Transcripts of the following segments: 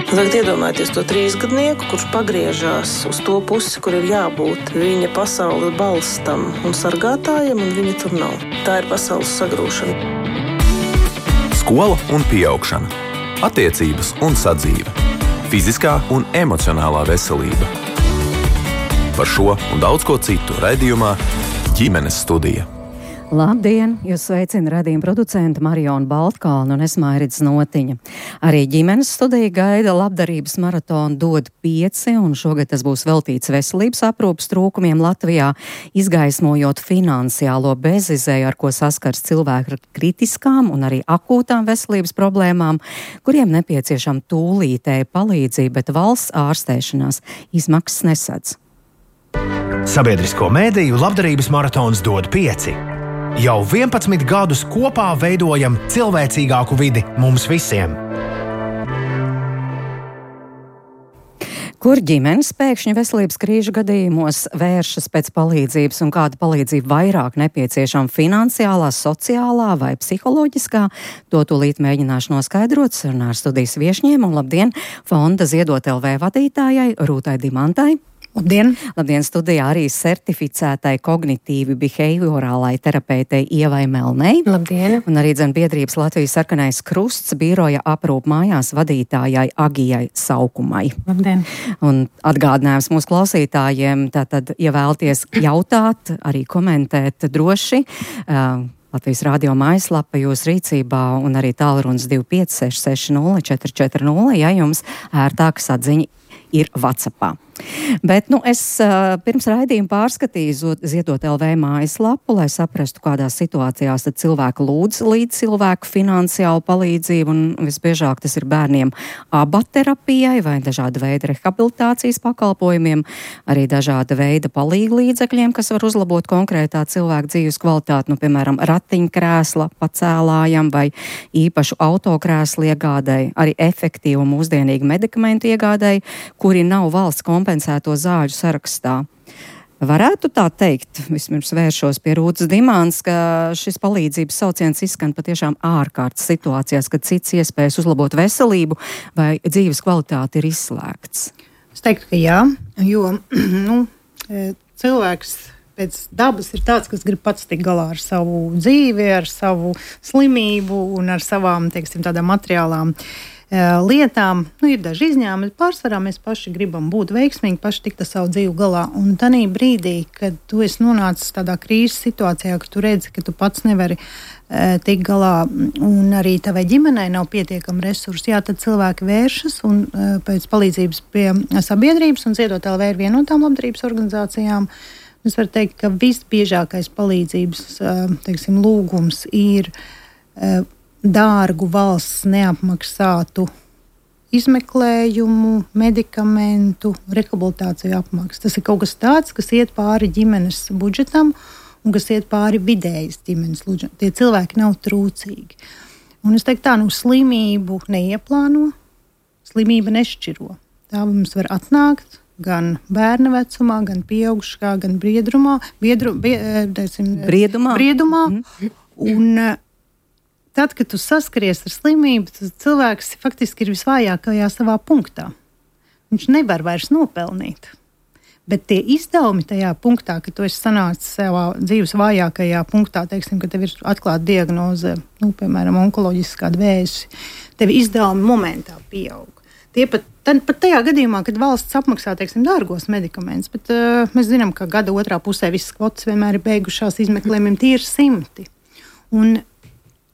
Tagad iedomājieties to 3-gadnieku, kurš pagriežās uz to pusi, kur ir jābūt viņa pasaules balstam un sargātājiem, un viņa tur nav. Tā ir pasaules sagrūšana. Skola un pieaugšana, attiecības un sadzīve, fiziskā un emocionālā veselība. Par šo un daudz ko citu raidījumā Ģimenes studija. Labdien! Jūs sveicina raidījuma producenta Mariona Baltkalna un es Mairits Notiņa. Arī Ģimenes studija gaida labdarības maratonu Dod 5, un šogad tas būs veltīts veselības aprūpes trūkumiem Latvijā, izgaismojot finansiālo bezizēju, ar ko saskars cilvēki ar kritiskām un arī akūtām veselības problēmām, kuriem nepieciešama tūlītēja palīdzība, bet valsts ārstēšanās izmaksas nesadz. Sabiedrisko mēdīju labdarības maratons Dod 5. Jau 11 gadus kopā veidojam cilvēcīgāku vidi mums visiem. Kur ģimenes pēkšņi veselības krīžu gadījumos vēršas pēc palīdzības un kāda palīdzība vairāk nepieciešama finansiālā, sociālā vai psiholoģiskā? To tūlīt mēģināšu noskaidrot sarunā ar studijas viešņiem, un labdien Fonda Ziedot LV vadītājai Rūtai Dimantai. Labdien! Labdien, studijā arī certificētai kognitīvi behaviorālai terapeitei Ievai Melnei. Labdien! Un arī biedrības Latvijas Sarkanais Krusts biroja aprūp mājās vadītājai Agijai Saukumai. Labdien! Un atgādinājums mūsu klausītājiem, tātad, ja vēlties jautāt, arī komentēt droši, Latvijas radio mājaslapa jūs rīcībā un arī tālrunis 25 660 440, ja jums ērtākas atziņa ir WhatsAppā. Bet, es pirms raidījuma pārskatīju Ziedot LV mājaslapu, lai saprastu, kādās situācijās tad cilvēki lūdz līdz cilvēku finansiālu palīdzību, un visbiežāk tas ir bērniem abaterapijai vai dažāda veida rehabilitācijas pakalpojumiem, arī dažāda veida palīglīdzekļiem, kas var uzlabot konkrētā cilvēka dzīves kvalitāti, piemēram, ratiņkrēsla pacēlājam vai īpašu autokrēslu iegādai, arī efektīvu un mūsdienīgu medikamentu iegādai, kuri nav valsts kompensēto zāļu sarakstā. Varētu tā teikt, vismaz vēršos pie Rūtas Dimants, ka šis palīdzības sauciens izskan patiešām ārkārtas situācijās, kad cits iespējas uzlabot veselību vai dzīves kvalitāti ir izslēgts. Es teiktu, ka jā, jo cilvēks pēc dabas ir tāds, kas grib pats tikt galā ar savu dzīvi, ar savu slimību un ar savām, tādām materiālām lietām. Ir daži izņēmumi, bet pārsvarā mēs paši gribam būt veiksmīgi, paši tikt ar savu dzīvi galā. Un tanī brīdī, kad tu esi nonācis tādā krīzes situācijā, ka tu redzi, ka tu pats nevari tikt galā un arī tavai ģimenei nav pietiekami resursi, tad cilvēki vēršas un pēc palīdzības pie sabiedrības, un Ziedot LV ir viena no tām labdarības organizācijām. Es varu teikt, ka visbiežākais palīdzības lūgums ir dārgu valsts neapmaksātu izmeklējumu, medikamentu, rehabilitāciju apmaksu. Tas ir kaut kas tāds, kas iet pāri ģimenes budžetam un kas iet pāri vidējas ģimenes budžetam. Tie cilvēki nav trūcīgi. Un es teiktu tā, slimību neieplāno, slimība nešķiro. Tā mums var atnākt gan bērna vecumā, gan pieaugušā, gan briedumā. Un tad, kad tu saskaries ar slimību, tad cilvēks faktiski ir visvājākajā savā punktā. Viņš nevar vairs nopelnīt. Bet tie izdevumi tajā punktā, kad tu esi sanācis savā dzīves vājākajā punktā, ka tev ir atklāta diagnoze, piemēram, onkoloģisks kāda vēzis, tev izdevumi momentā pieaug. Tie pat tajā gadījumā, kad valsts apmaksā, dārgos medikamentus, bet mēs zinām, ka gada otrā pusē visas kvotas vienmēr ir beigušās izmeklējumiem, tie ir 100. Un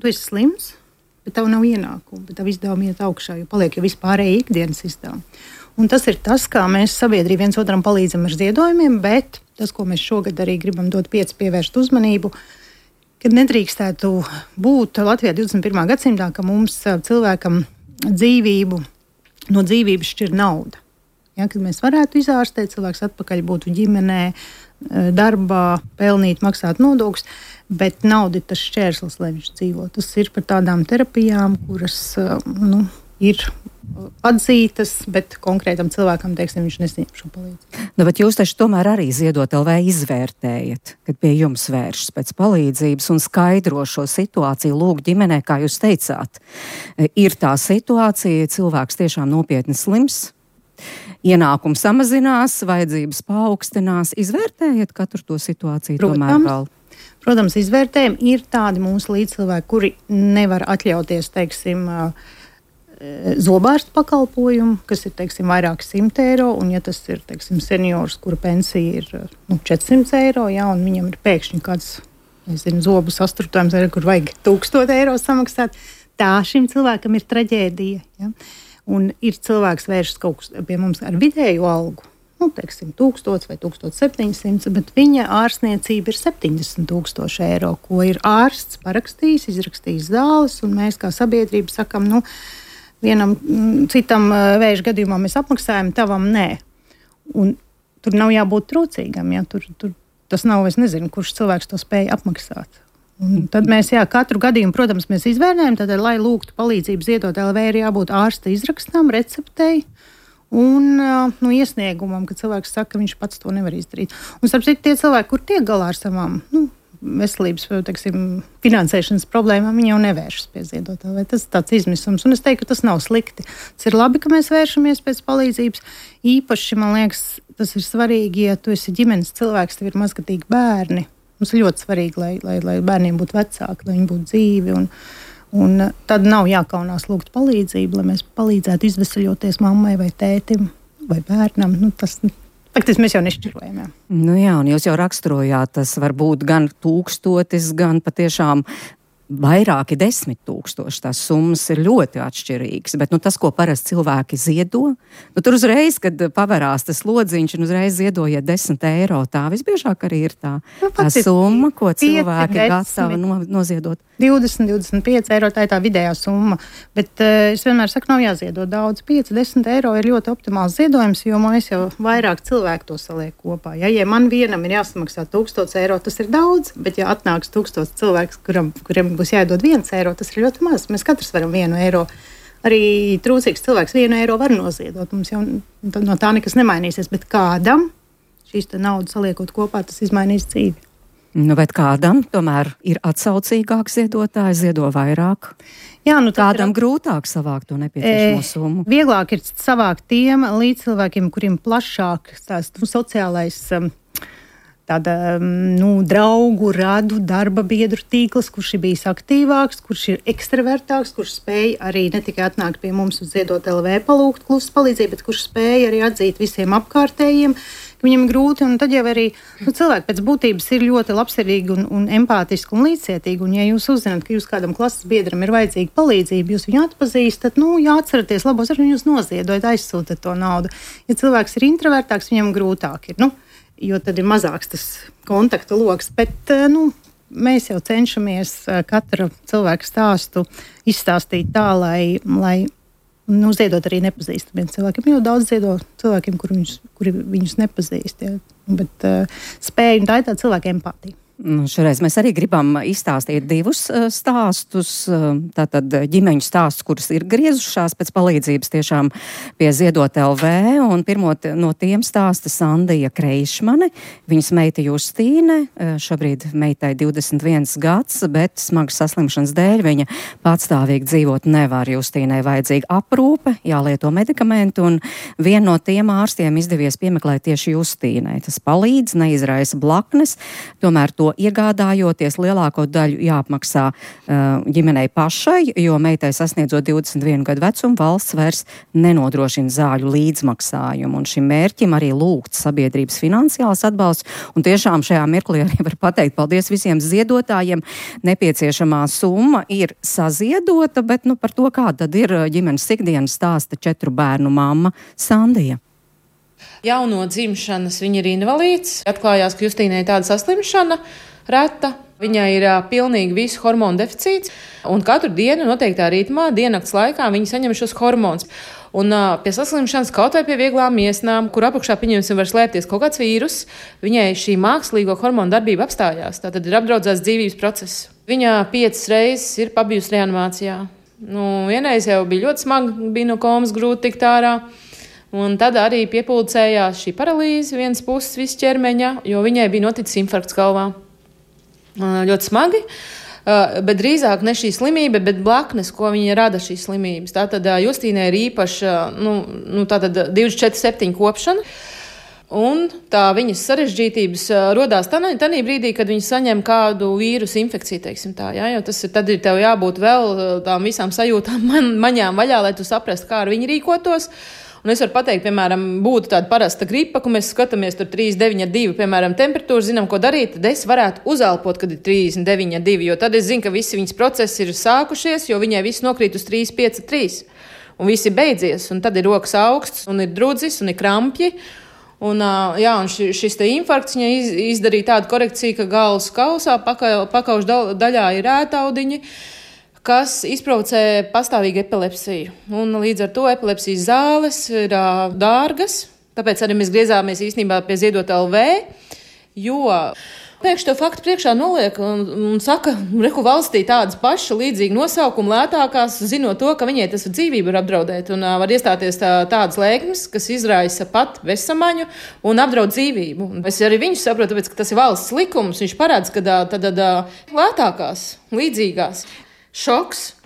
tu esi slims, bet tev nav ienākumu, bet tev izdevumi iet augšā, jo paliek jau vispārēji ikdienas izdevumi. Un tas ir tas, kā mēs sabiedrība viens otram palīdzam ar ziedojumiem, bet tas, ko mēs šogad arī gribam Dot 5 pievērst uzmanību, kad nedrīkstētu būt Latvijā 21. gadsimtā, ka mums cilvēkam no dzīvības šķir nauda. Kad mēs varētu izārstēt, cilvēks atpakaļ būtu ģimenē, darbā, pelnīt, maksāt nodokļus, bet nauda ir tas šķērslis, lai viņš dzīvo. Tas ir par tādām terapijām, kuras ir atzītas, bet konkrētam cilvēkam, teiksim, viņš nesaņem šo palīdzību. Nu, bet jūs taču tomēr arī Ziedot LV izvērtējat, kad pie jums vēršas pēc palīdzības un skaidro šo situāciju lūk ģimenē, kā jūs teicāt. Ir tā situācija, cilvēks tiešām nopietni slims, ienākums samazinās, vajadzības paaugstinās. Izvērtējat katru to situāciju tomēr vēl? Protams, izvērtējumi ir tādi mūsu līdzcilvēki, kuri nevar atļauties, teiksim, zobārstu pakalpojumu, kas ir, teiksim, vairāki 100 eiro, un ja tas ir, teiksim, seniors, kura pensija ir 400 eiro, ja, un viņam ir pēkšņi kāds, zobu sastruptojums, kur vajag 1000 eiro samaksāt, tā šim cilvēkam ir traģēdija. Ja. Un ir cilvēks vēršas kaut kas pie mums ar vidēju algu, teiksim, 1000 vai 1700, bet viņa ārstniecība ir 70 000 eiro, ko ir ārsts parakstījis, izrakstījis zāles, un mēs kā sabiedrība sakam, vienam citam vēža gadījumā mēs apmaksājam, tavam nē. Un tur nav jābūt trūcīgam, ja? Tur tas nav, es nezinu, kurš cilvēks to spēja apmaksāt. Un tad mēs, katru gadījumu, protams, mēs izvērtējam, tad, lai lūgtu palīdzību Ziedot LV, ir jābūt ārsta izrakstām, receptei un iesniegumam, ka cilvēks saka, ka viņš pats to nevar izdarīt. Un starp citu, tie cilvēki, kur tiek galā ar savām, veselības, teiksim, finansēšanas problēmām, viņi jau nevēršas pie Ziedot LV. Tas ir tāds izmisums, un es teiktu, ka tas nav slikti. Tas ir labi, ka mēs vēršamies pēc palīdzības. Īpaši, man liekas, tas ir svarīgi, ja tu esi ģimenes cilvēks, tev ir mazgatīgi bērni. Mums ir ļoti svarīgi, lai bērniem būtu vecāki, lai viņi būtu dzīvi, un tad nav jākaunās lūgt palīdzību, lai mēs palīdzētu izvesaļoties mammai vai tētim vai bērnam. Faktiski mēs jau nešķirojam. Jā, un jūs jau raksturojāt, tas var būt gan 1000, gan patiešām vairāki 10 000. Tās summas ir ļoti atšķirīgas, bet tas, ko parasti cilvēki ziedo, tur uzreiz, kad paverās tas lodziņš un uzreiz ziedojiet 10 eiro, tā visbiežāk arī ir tā summa, ko cilvēki gatavi noziedot. 20, 25 eiro, tā ir tā vidējā summa, bet es vienmēr saku, nav jāziedo daudz. 5-10 eiro ir ļoti optimāls ziedojums, jo mēs jau vairāk cilvēku to saliek kopā. Ja man vienam ir jāsamaksā 1000 eiro, tas ir daudz, bet ja atnāks 1000 cilvēks, kuriem būs jādod 1 eiro, tas ir ļoti maz. Mēs katrs varam 1 eiro. Arī trūcīgs cilvēks 1 eiro var noziedot. Mums jau no tā nekas nemainīsies, bet kādam šīs naudas saliekot kopā, tas izmainīs dzīvi. Bet kādam tomēr ir atsaucīgāks ziedotāji, ziedo vairāk? Jā, kādam grūtāk savākt to nepieciešamo summu? Vieglāk ir savākt tiem līdzcilvēkiem, kuriem plašāk tās sociālais draugu, radu, darba biedru tīkls, kurš ir bijis aktīvāks, kurš ir ekstravertāks, kurš spēj arī ne tikai atnākt pie mums uz Ziedot LV palūgt klusu palīdzību, bet kurš spēj arī atzīt visiem apkārtējiem, ka viņam ir grūti, un tad jau arī cilvēki pēc būtības ir ļoti labsirdīgi un empātiski un līdzcietīgi, un ja jūs uzzināt, ka jūs kādam klases biedram ir vajadzīga palīdzība, jūs viņu atpazīstat, jāatceraties labos, ar viņu noziedojat, aizsūtat to naudu. Ja cilvēks ir introvertāks, viņam grūtāk ir, jo tad ir mazāks tas kontaktu loks, bet mēs jau cenšamies katra cilvēka stāstu izstāstīt tā, lai ziedot arī nepazīstamiem cilvēkiem. Jo daudz ziedo cilvēkiem, kuri viņus nepazīst, bet spēja, un tā ir tā cilvēka empātija. Šoreiz mēs arī gribam izstāstīt 2 stāstus, tātad ģimeņu stāstus, kuras ir griezušās pēc palīdzības tiešām pie Ziedot LV, un pirmo no tiem stāsta Sandija Kreišmane, viņas meita Justīne, šobrīd meitai 21 gads, bet smagas saslimšanas dēļ viņa patstāvīgi dzīvot nevar. Justīnai vajadzīga aprūpe, jālieto medikamenti, un vienu no tiem ārstiem izdevies piemeklēt tieši Justīnai. Tas palīdz, neizraisa blaknes, tomēr to iegādājoties lielāko daļu jāapmaksā ģimenei pašai, jo meitai sasniedzot 21 gadu vecumu valsts vairs nenodrošina zāļu līdzmaksājumu. Un šim mērķim arī lūgts sabiedrības finansiāls atbalsts. Un tiešām šajā mirklī arī var pateikt paldies visiem ziedotājiem. Nepieciešamā summa ir saziedota, bet par to, kā tad ir ģimenes ikdienas stāsta 4 bērnu mamma Sandija. Jau no dzimšanas viņa ir invalīds. Atklājās, ka Justīnai ir tāda saslimšana reta. Viņai ir pilnīgi visu hormonu deficīts. Un katru dienu noteiktā ritmā, diennakts laikā viņa saņem šos hormonus. Un pie saslimšanas, kaut vai pie vieglām miesnām, kur apakšā pieņemsim var slēpties kaut kāds vīrus, viņai šī mākslīgo hormonu darbība apstājās. Tātad ir apdraudzēts dzīvības process. Viņa 5 reizes ir pabijusi reanimācijā. Vienreiz jau bija ļoti smagi, bija no komas grūti tikt ārā. Un tad arī piepulcējās šī paralīze vienas puses visu ķermeņa, jo viņai bija noticis infarkts galvā. Ļoti smagi, bet drīzāk ne šī slimība, bet blaknes, ko viņa rada šīs slimības. Tātad Justīnai ir īpaša, tātad 24/7 kopšana. Un tā viņas sarežģītības rodās tanī brīdī, kad viņi saņem kādu vīrusu infekciju, teiksim tā, ja? Jo tad ir tev jābūt vēl tām visām sajūtām maņām vaļā, lai tu saprastu, kā ar viņu rīkotos. Un es varu pateikt, piemēram, būtu tāda parasta gripa, ka mēs skatāmies tur 39,2, piemēram, temperatūru, zinām, ko darīt, tad es varētu uzelpot, kad ir 39,2, jo tad es zinu, ka visi viņas procesi ir sākušies, jo viņai viss nokrīt uz 3,5,3. Un viss ir beidzies, un tad ir rokas augsts, un ir drudzis, un ir krampji. Un šis te infarkts viņai izdarīja tādu korekciju, ka galvas kausā, pakaušu daļā ir ētaudiņi, kas izprovocē pastāvīgu epilepsiju. Un līdz ar to epilepsijas zāles ir dārgas, tāpēc arī mēs griezāmies īstenībā pie Ziedot LV, jo pēkšņi to faktu priekšā noliek un saka, reku valstī tādas paša līdzīgi nosaukumi lētākās, zinot to, ka viņai tas dzīvību var apdraudēt un var iestāties tādas lēkmes, kas izraisa pat vesamaņu un apdraud dzīvību. Es arī viņu saprotu, tāpēc, ka tas ir valsts likums, viņš parāds, ka tad lētākās, līdzīgās. Šoks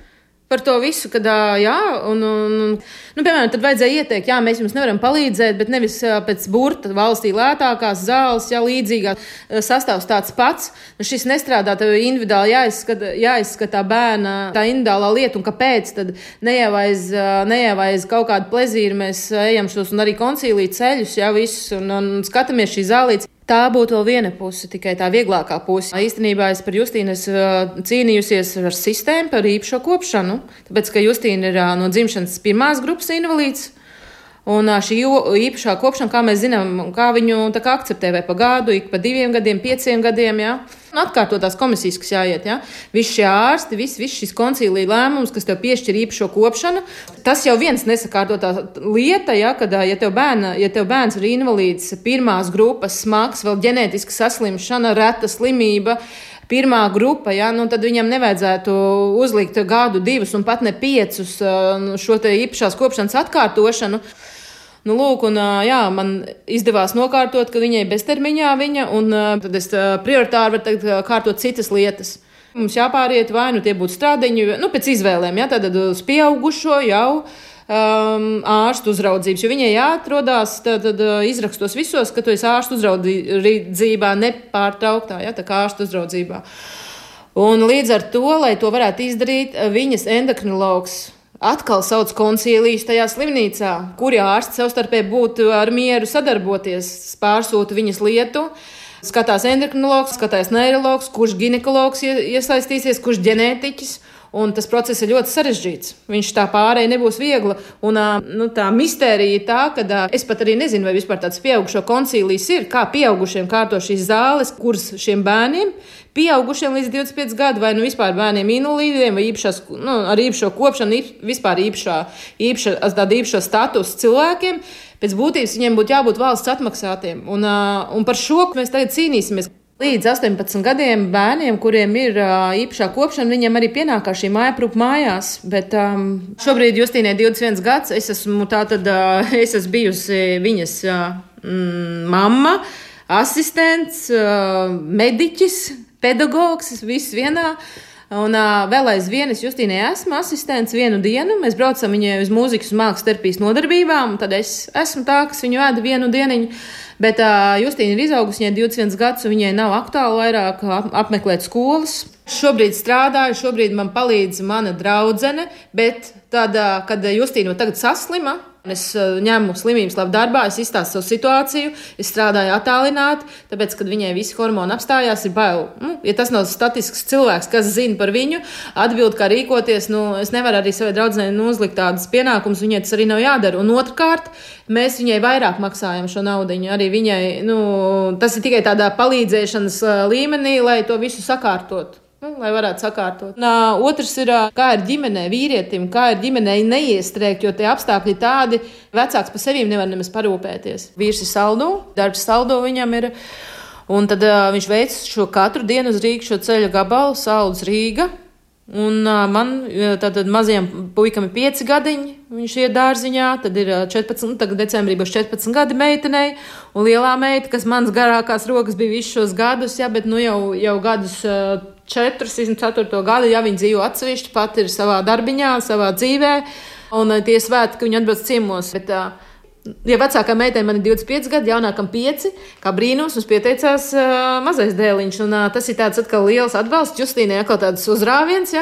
par to visu, kad, piemēram, tad vajadzēja ieteikt, mēs jums nevaram palīdzēt, bet nevis pēc burta valstī lētākās zāles, līdzīgās sastāvs tāds pats. Šis nestrādā, tev individuāli jāizskatā bērna tā individuālā lieta, un kāpēc tad nejavaiz kaut kādu plezīru mēs ejam šos un arī koncīlī ceļus, visus, un skatāmies šī zālītes. Tā būtu vēl viena puse, tikai tā vieglākā puse. Īstenībā es par Justīnu cīnījusies ar sistēmu par īpašo kopšanu, tāpēc, ka Justīna ir no dzimšanas 1. grupas invalīds. Un šī īpašā kopšana, kā mēs zinām, kā viņu akceptē vai pa gadu, ik pa 2 gadiem, 5 gadiem, Un atkārtotās komisijas, kas jāiet, Visi šie ārsti, viss šis koncīlija lēmums, kas tev piešķir īpašo kopšanu, tas jau viens nesakārtotā lieta, kad, ja tev bērns ir invalīds 1. grupas, smags, vēl ģenētiska saslimšana, reta slimība, 1. grupa, tad viņam nevajadzētu uzlikt gadu, 2 un pat ne 5 šo te īpašās kopšanas atkārtošanu. Man izdevās nokārtot, ka viņai beztermiņā un tad es prioritāri varu kārtot citas lietas. Mums jāpāriet vai tie būtu strādiņi, pēc izvēlēm, tad uz pieaugušo jau ārstu uzraudzības, jo viņai jāatrodās tad izrakstos visos, ka tu esi ārstu uzraudzībā nepārtrauktā, tā kā ārstu uzraudzībā. Un līdz ar to, lai to varētu izdarīt, viņas endokrinologs atkal sauc koncīlijus tajā slimnīcā, kuri ārsti savstarpēji būtu ar mieru sadarboties, pārsūta viņas lietu. Skatās endokrinologs, skatās neirologs, kurš ginekologs iesaistīsies, kurš ģenētiķis. Un tas process ir ļoti sarežģīts. Viņš tā pārēja nebūs viegla. Un tā mistērija ir tā, ka es pat arī nezinu, vai vispār tāds pieaugušo koncīlijs ir, kā pieaugušiem kārto šīs zāles, kuras šiem bērniem, pieaugušiem līdz 25 gadu, vai vispār bērniem invalīdiem, vai ar īpašo kopšanu, vispār īpašo statusu cilvēkiem. Pēc būtības viņiem būtu jābūt valsts atmaksātiem. Un par šo mēs tagad cīnīsimies. Līdz 18 gadiem bērniem, kuriem ir īpašā kopšana, viņiem arī pienākās šī mājaprūpe mājās. Bet šobrīd Justīnai 21 gads, es esmu bijusi viņas mamma, asistents, mediķis, pedagogs, viss vienā. Un vēl aizvien es Justīnai esmu asistents 1 dienu. Mēs braucam viņai uz mūzikas un mākslas terapijas nodarbībām, un tad es esmu tā, kas viņu veda 1 dieniņu. Bet Justīna ir izaugusi, viņai 21 gadus, un viņai nav aktuāli vairāk apmeklēt skolas. Šobrīd strādāju, šobrīd man palīdz mana draudzene, bet tad, kad Justīna tagad saslima, es ņemu slimības labu darbā, es izstāstu savu situāciju, es strādāju attālināti, tāpēc, kad viņai visi hormoni apstājās, ir bail. Ja tas nav statisks cilvēks, kas zina par viņu, atbild, kā rīkoties, es nevaru arī savai draudzenei uzlikt tādas pienākumus, viņai tas arī nav jādara. Un otrkārt, mēs viņai vairāk maksājam šo naudiņu. Arī viņai, tas ir tikai tādā palīdzēšanas līmenī, lai to visu sakārtotu. Lai varētu sakārtot. Otrs ir, kā ir ģimenē vīrietim, kā ir ģimenei neiestrēgt, jo tie apstākļi tādi, vecāks par sevīm nevar nemaz parūpēties. Vīrs ir saldo, darbs saldo viņam ir, un tad viņš veic šo katru dienu uz Rīgu šo ceļa gabalu, Saules Rīga. Un man tātad mazajam puikam ir 5 gadiņi, viņš iet dārziņā, tad ir 14, tagad decembrī būs 14 gadi meitenei, un lielā meita, kas mans garākās rokas bija visus šos gadus, bet jau gadus 4 gadu, ja viņa dzīvo atsevišķi, pat ir savā darbiņā, savā dzīvē, un tie svētki, ka viņa atbrauc ciemos, bet ja vecākā meitei man ir 25 gadi, jaunākam 5, kā brīnums, mums pieteicās mazais dēliņš, un tas ir tāds atkal liels atbalsts Justīnai, atkal tāds uzrāviens,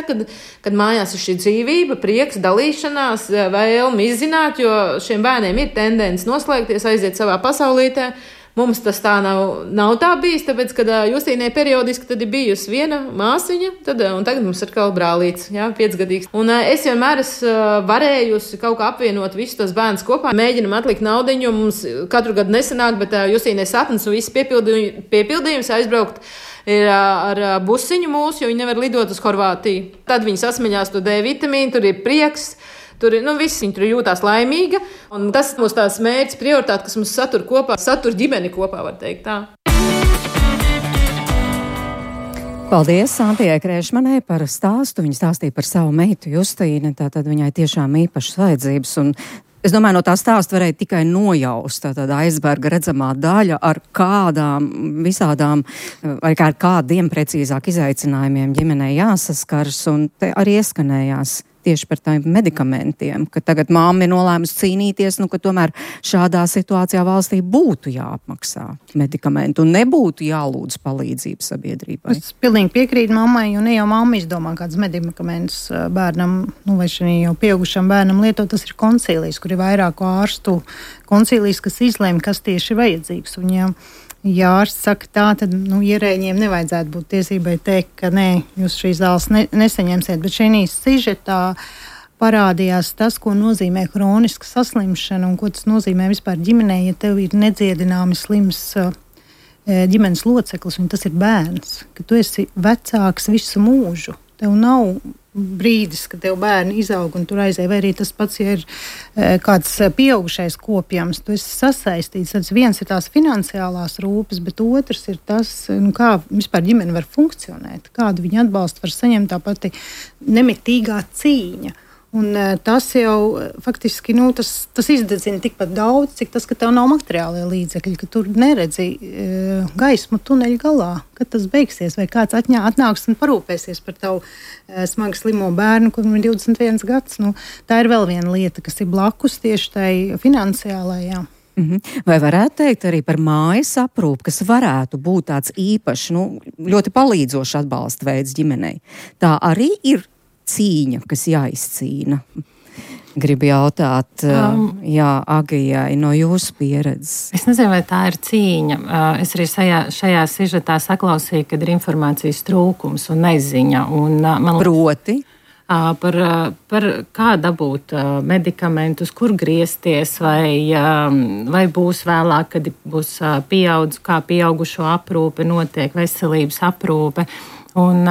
kad mājās ir šī dzīvība, prieks, dalīšanās, vēlme izzināt, jo šiem bērniem ir tendence noslēgties, aiziet savā pasaulītē. Mums tas tā nav tā bijis, tāpēc, kad Justīnai periodiski tad ir bijusi viena māsiņa, un tagad mums ir kā brālīts, 5-gadīgs. Un es vienmēr varējusi kaut kā apvienot visus tos bērnus kopā. Mēģinam atlikt naudiņu, mums katru gadu nesanāk, bet Justīnai sapnis un viss piepildījums aizbraukt ir ar busiņu mūsu, jo viņi nevar lidot uz Horvātiju. Tad viņi sasmaļās to D vitamīnu, tur ir prieks. Tur ir, viss viņa tur jūtās laimīga, un tas ir mūsu tās mērķis, prioritāte, kas mums satur kopā, satur ģimeni kopā, var teikt tā. Paldies Santijai Krēšmanai par stāstu. Viņa stāstīja par savu meitu Justīnu, tātad viņai tiešām īpašas vajadzības, un es domāju, no tā stāsta varēja tikai nojaust tātad aizberga redzamā daļa ar kādām visādām, vai ar kādiem precīzāk izaicinājumiem ģimenei jāsaskars, un te arī ieskanējās tieši par tādiem medikamentiem, ka tagad māma ir nolēmusi cīnīties, ka tomēr šādā situācijā valstī būtu jāapmaksā medikamenti un nebūtu jālūdz palīdzību sabiedrībai. Es pilnīgi piekrītu mammai, jo ne jau mamma izdomā kādas medikamentus bērnam, vai šī jau pieaugušam bērnam lietot, tas ir koncīlijs, kur ir vairāku ārstu koncīlijs, kas izlēma, kas tieši ir vajadzīgs. Un ja ārsts saka tā, tad ierēģiem nevajadzētu būt tiesībai teikt, ka nē, jūs šīs zāles nesaņemsiet, bet šī sižetā parādījās tas, ko nozīmē hroniska saslimšana un ko tas nozīmē vispār ģimenē, ja tev ir nedziedināmi slims ģimenes loceklis, un tas ir bērns, ka tu esi vecāks visu mūžu. Tev nav brīdis, kad tev bērni izaug un tur aizēja, vai arī tas pats, ja ir kāds pieaugušais kopjams, tu esi sasaistīts. Tad viens ir tās finansiālās rūpes, bet otrs ir tas, kā vispār ģimene var funkcionēt, kādu viņa atbalstu var saņemt, tā pati nemitīgā cīņa. Un tas jau faktiski tas izdedzina tikpat daudz, cik tas, ka tev nav materiālie līdzekļi, ka tur neredzi gaismu tuneļa galā, kad tas beigsies, vai kāds atnāks un parūpēsies par tavu smagi slimo bērnu, kuram ir 21 gads. Tā ir vēl viena lieta, kas ir blakus tieši tai finansiālajā. Vai varētu teikt arī par mājas aprūpi, kas varētu būt tāds īpašs, ļoti palīdzošs atbalsta veids ģimenei? Tā arī ir cīņa, kas jāizcīna. Gribu jautāt, Agijai, no jūsu pieredzes. Es nezinu, vai tā ir cīņa. Es arī šajā sižetā saklausīju, kad ir informācijas trūkums un neziņa. Proti? Par kā dabūt medikamentus, kur griezties, vai būs vēlāk, kad būs kā pieaugušo aprūpe notiek, veselības aprūpe. Un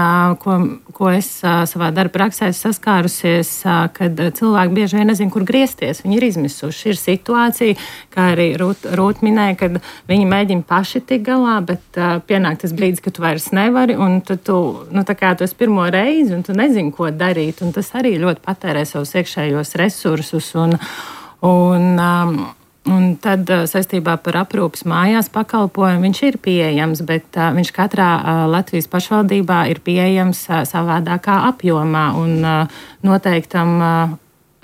ko es savā darba praksē saskārusies, kad cilvēki bieži vien nezin, kur griezties. Viņi ir izmisuši. Ir situācija, kā arī Rūt minēja, kad viņi mēģina paši tikt galā, bet pienāk tas brīdis, ka tu vairs nevari, un tad tu esi pirmo reizi, un tu nezini, ko darīt. Un tas arī ļoti patērē savus iekšējos resursus. Un tad saistībā par aprūpes mājās pakalpojumu viņš ir pieejams, bet viņš katrā Latvijas pašvaldībā ir pieejams savādākā apjomā un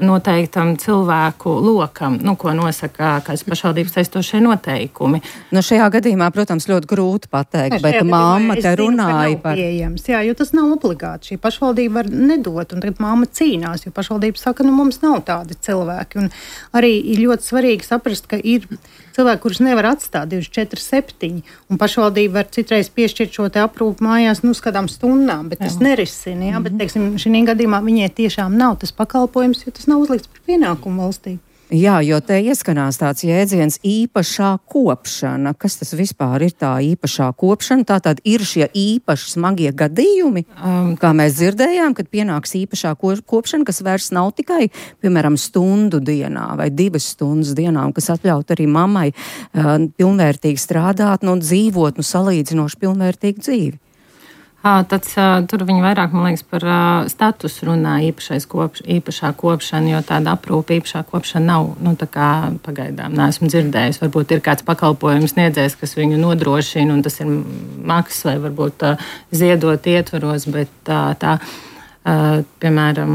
noteiktam cilvēku lokam, ko nosaka kāds pašvaldības saistošie noteikumi. Šajā gadījumā, protams, ļoti grūti pateikt, bet mamma te runāja par... Pieejams, jo tas nav obligāti. Šī pašvaldība var nedot, un tagad mamma cīnās, jo pašvaldība saka, mums nav tādi cilvēki. Un arī ir ļoti svarīgi saprast, ka ir cilvēki, kurus nevar atstāt 24/7, un pašvaldība var citreiz piešķirt šo te aprūpu mājās uz kādām stundām, bet tas nerisina. Bet, teiksim, šī gadījumā viņai tiešām nav tas pakalpojums, jo tas nav uzlikts par pienākumu valstī. Jā, jo te ieskanās tāds jēdziens īpašā kopšana. Kas tas vispār ir tā īpašā kopšana? Tātad ir šie īpaši smagie gadījumi, kā mēs dzirdējām, kad pienāks īpašā kopšana, kas vairs nav tikai, piemēram, stundu dienā vai 2 stundas dienā, un kas atļaut arī mammai pilnvērtīgi strādāt, dzīvot, salīdzinoši pilnvērtīgu dzīvi. Tur viņi vairāk, man liekas, par statusu runā īpašā kopšana, jo tāda aprūpe īpašā kopšana nav, tā kā pagaidām neesmu dzirdējis. Varbūt ir kāds pakalpojums sniedzējs, kas viņu nodrošina, un tas ir maksas vai varbūt ziedot ietvaros, bet piemēram,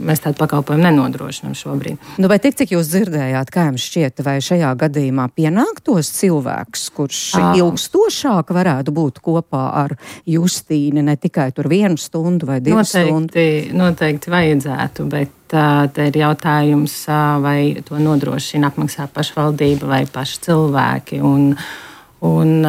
mēs tādu pakalpojumu nenodrošinām šobrīd. Bet cik jūs dzirdējāt, kā jums šķiet, vai šajā gadījumā pienāktos cilvēks, kurš ilgstošāk varētu būt kopā ar Justīni, ne tikai tur 1 stundu vai 2 stundas? Noteikti vajadzētu, bet te ir jautājums, vai to nodrošina apmaksā pašvaldība vai paši cilvēki. Un,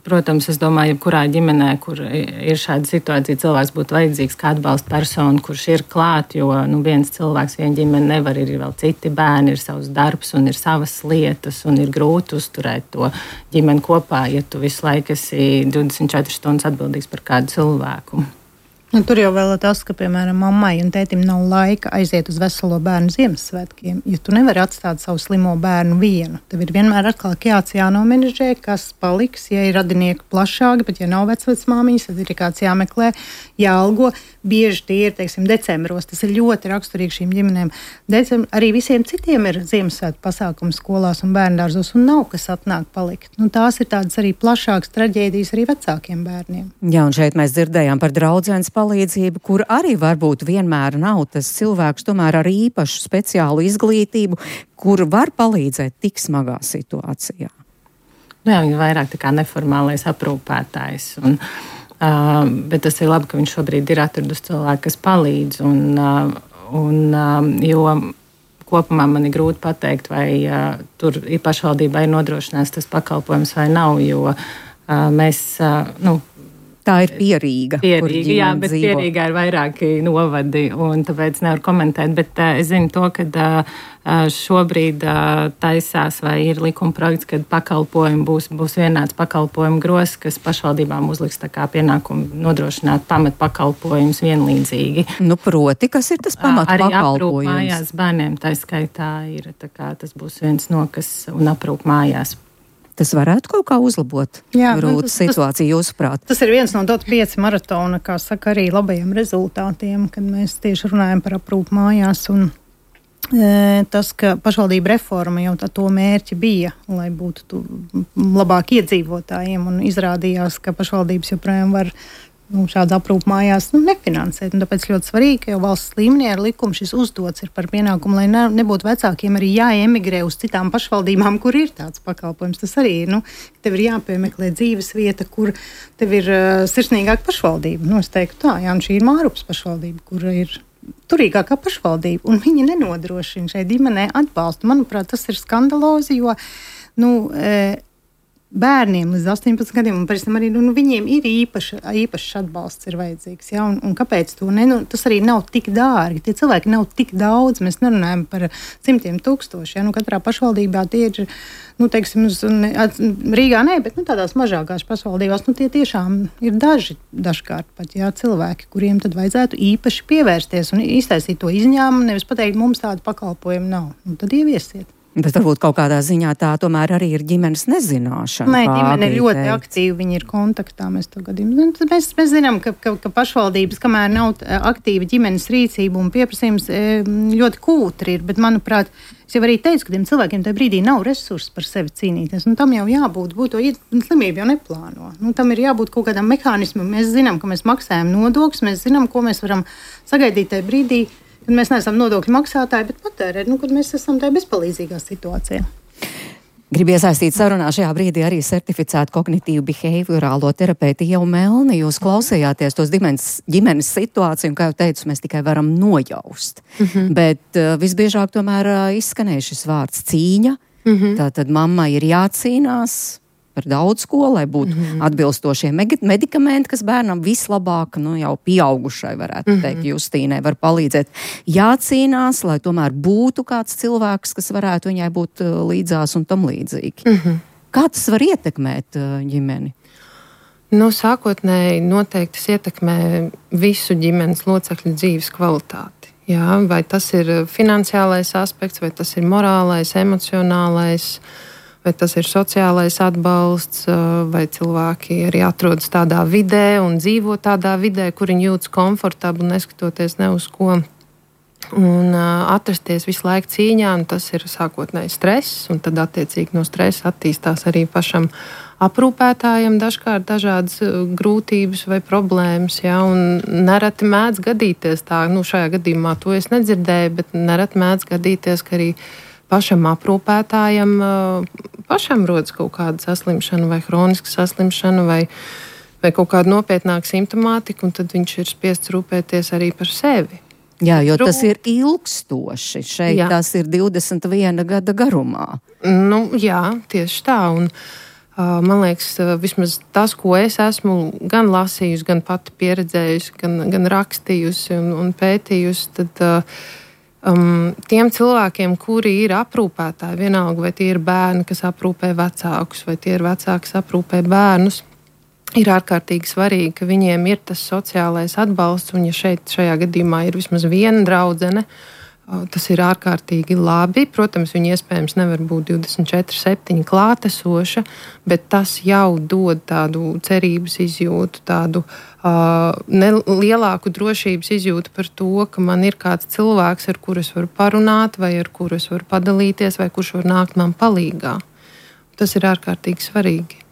protams, es domāju, jebkurā ģimenē, kur ir šāda situācija, cilvēks būtu vajadzīgs kā atbalsta persona, kurš ir klāt, jo viens cilvēks, viena ģimene nevar, ir vēl citi bērni, ir savs darbs un ir savas lietas, un ir grūti uzturēt to ģimeni kopā, ja tu visu laiku esi 24 stundas atbildīgs par kādu cilvēku. Tur jau vēl ir tas, ka, piemēram, mammai un tētim nav laika aiziet uz veselo bērnu Ziemassvētkiem, jo tu nevari atstāt savu slimo bērnu vienu. Tev ir vienmēr atkal kāds jānomenedžē, kas paliks, ja ir radinieki plašāki, bet ja nav vecmāmiņas, tad ir kāds jāmeklē, jāalgo. Bieži tie ir, teiksim, decembros. Tas ir ļoti raksturīgi šīm ģimenēm. Arī visiem citiem ir Ziemassvētku pasākumi skolās un bērndārzos, un nav kas atnāk palikt. Tās ir tādas arī plašākas traģēdijas arī vecākiem bērniem. Jā, un šeit mēs dzirdējām par draudzenes palīdzību, kur arī varbūt vienmēr nav tas cilvēks tomēr ar īpašu speciālu izglītību, kur var palīdzēt tik smagā situācijā. Jā, viņi vairāk tā kā neformālais aprūpētājs. Bet tas ir labi, ka viņš šobrīd ir atradus cilvēku, kas palīdz. Jo kopumā man ir grūti pateikt, vai tur pašvaldībai ir nodrošināts tas pakalpojums vai nav, jo mēs... Tā ir Pierīga. Jā, bet dzīvo. Pierīgā ir vairāki novadi, un tāpēc nevaru komentēt. Bet es zinu to, ka šobrīd taisās vai ir likuma projekts, kad pakalpojumi būs vienāds pakalpojumu gros, kas pašvaldībām uzliks tā kā pienākumu nodrošināt pamatpakalpojumus vienlīdzīgi. Proti, kas ir tas pamatpakalpojums? Arī aprūp mājās bērniem, tā skaitā ir, tā kā tas būs viens no, kas un aprūp mājās. Tas varētu kaut kā uzlabot situāciju, jūsuprāt? Tas ir viens no DOT 5 maratona, kā saka, arī labajiem rezultātiem, kad mēs tieši runājam par aprūpu mājās. Un tas, ka pašvaldība reforma jau to mērķi bija, lai būtu labāk iedzīvotājiem, un izrādījās, ka pašvaldības joprojām var šādu aprūpu mājās nefinansēt. Tāpēc ļoti svarīgi, ka jau valsts līmenī ar likumu šis uzdots ir par pienākumu, lai nebūtu vecākiem arī jāemigrē uz citām pašvaldībām, kur ir tāds pakalpojums. Tas arī ir, tev ir jāpiemeklē dzīves vieta, kur tev ir sirsnīgāka pašvaldība. Es teiktu tā, un šī ir Mārupas pašvaldība, kur ir turīgākā pašvaldība, un viņi nenodrošina šai ģimenei atbalstu. Manuprāt, tas ir skandalozi, jo, bērniem līdz 18 gadiem, un pēc tam arī viņiem ir īpašs atbalsts ir vajadzīgs. Ja? Un kāpēc to ne? Tas arī nav tik dārgi. Tie cilvēki nav tik daudz. Mēs nerunājam par simtiem tūkstoši. Ja? Katrā pašvaldībā tie ir, teiksim, Rīgā nē, bet tādās mazākās pašvaldībās, tie tiešām ir dažkārt pat cilvēki, kuriem tad vajadzētu īpaši pievērsties un iztaisīt to izņēmumu, nevis pateikt, mums tādu pakalpojumu nav. Tad ieviesiet. Bet varbūt kaut kādā ziņā tā tomēr arī ir ģimenes nezināšana. Nē, ģimene ir ļoti aktīva, viņi ir kontaktā. Mēs zinām, ka pašvaldības, kamēr nav aktīva ģimenes rīcība un pieprasījums, ļoti kūtri ir. Bet, manuprāt, es jau arī teicu, ka tiem cilvēkiem tajā brīdī nav resursi par sevi cīnīties. Tam jau jābūt, slimība jau neplāno. Tam ir jābūt kaut kādam mehānismam. Mēs zinām, ka mēs maksājam nodokļus, mēs zinām, ko mēs varam sagaidīt tajā brīdī, kad mēs neesam nodokļu maksātāji, bet patērēt, kad mēs esam tajā bezpalīdzīgā situācijā. Gribu iesaistīt sarunā šajā brīdī arī certificētu kognitīvu behaviorālo terapeitu Ievu Melni. Jūs klausījāties tos ģimenes situāciju, un, kā jau teicu, mēs tikai varam nojaust. Bet visbiežāk tomēr izskanēja šis vārds cīņa. Tātad mammai ir jācīnās par daudz ko, lai būtu atbilstošie medikamenti, kas bērnam vislabāk, jau pieaugušai varētu teikt, Justīnai var palīdzēt. Jācīnās, lai tomēr būtu kāds cilvēks, kas varētu viņai būt līdzās un tam līdzīgi. Kā tas var ietekmēt ģimeni? Sākotnēji noteikti tas ietekmē visu ģimenes locekļu dzīves kvalitāti. Vai tas ir finansiālais aspekts, vai tas ir morālais, emocionālais. vai tas ir sociālais atbalsts, vai cilvēki arī atrodas tādā vidē un dzīvo tādā vidē, kur viņi jūtas komfortabli, neskatoties ne uz ko. Un atrasties visu laiku cīņā, un tas ir sākotnēji stress, un tad attiecīgi no stresa attīstās arī pašam aprūpētājiem dažkārt dažādas grūtības vai problēmas, ja, un nereti mēdz gadīties tā, šajā gadījumā to es nedzirdēju, bet nereti mēdz gadīties, ka arī pašam aprūpētājam pašam rodas kaut kāda saslimšana vai hroniska saslimšana vai kaut kāda nopietnāka simptomātika, un tad viņš ir spiests rūpēties arī par sevi. Jā, jo tas ir ilgstoši. Šeit tas ir 21 gada garumā. Jā, tieši tā. Un, man liekas, vismaz tas, ko es esmu gan lasījusi, gan pati pieredzējusi, gan rakstījusi un pētījusi, tad tiem cilvēkiem, kuri ir aprūpētāji, vienalga, vai tie ir bērni, kas aprūpē vecākus, vai tie ir vecāki, kas aprūpē bērnus, ir ārkārtīgi svarīgi, ka viņiem ir tas sociālais atbalsts, un ja šajā gadījumā ir vismaz viena draudzene, tas ir ārkārtīgi labi. Protams, viņi iespējams nevar būt 24/7 klātesoša, bet tas jau dod tādu cerības izjūtu, tādu lielāku drošības izjūtu par to, ka man ir kāds cilvēks, ar kuru es varu parunāt, vai ar kuru es varu padalīties, vai kurš var nākt man palīgā. Tas ir ārkārtīgi svarīgi.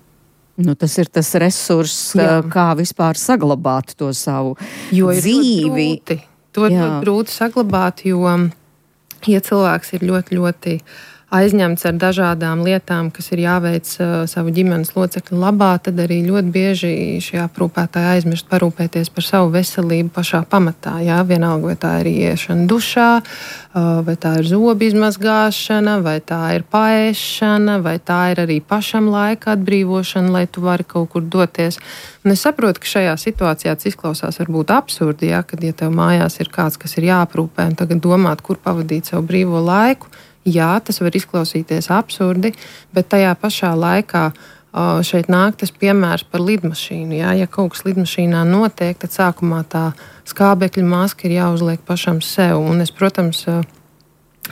Tas ir tas resurss, kā vispār saglabāt to savu dzīvi. To ir ļoti grūti saglabāt, jo, ja cilvēks ir ļoti, ļoti aizņemts ar dažādām lietām, kas ir jāveic savu ģimenes locekļu labā, tad arī ļoti bieži šie aprūpētāji aizmirst parūpēties par savu veselību pašā pamatā. Jā? Vienalga, vai tā ir iešana dušā, vai tā ir zobu izmazgāšana, vai tā ir paēšana, vai tā ir arī pašam laika atbrīvošana, lai tu vari kaut kur doties. Un es saprotu, ka šajā situācijā tas izklausās varbūt absurdi, ja, kad ja tev mājās ir kāds, kas ir jāaprūpē, un tagad domāt, kur pavadīt savu brīvo laiku. Jā, tas var izklausīties absurdi, bet tajā pašā laikā šeit nāk tas piemērs par lidmašīnu. Jā. Ja kaut kas lidmašīnā notiek, tad sākumā tā skābekļa maska ir jāuzliek pašam sev. Un es, protams,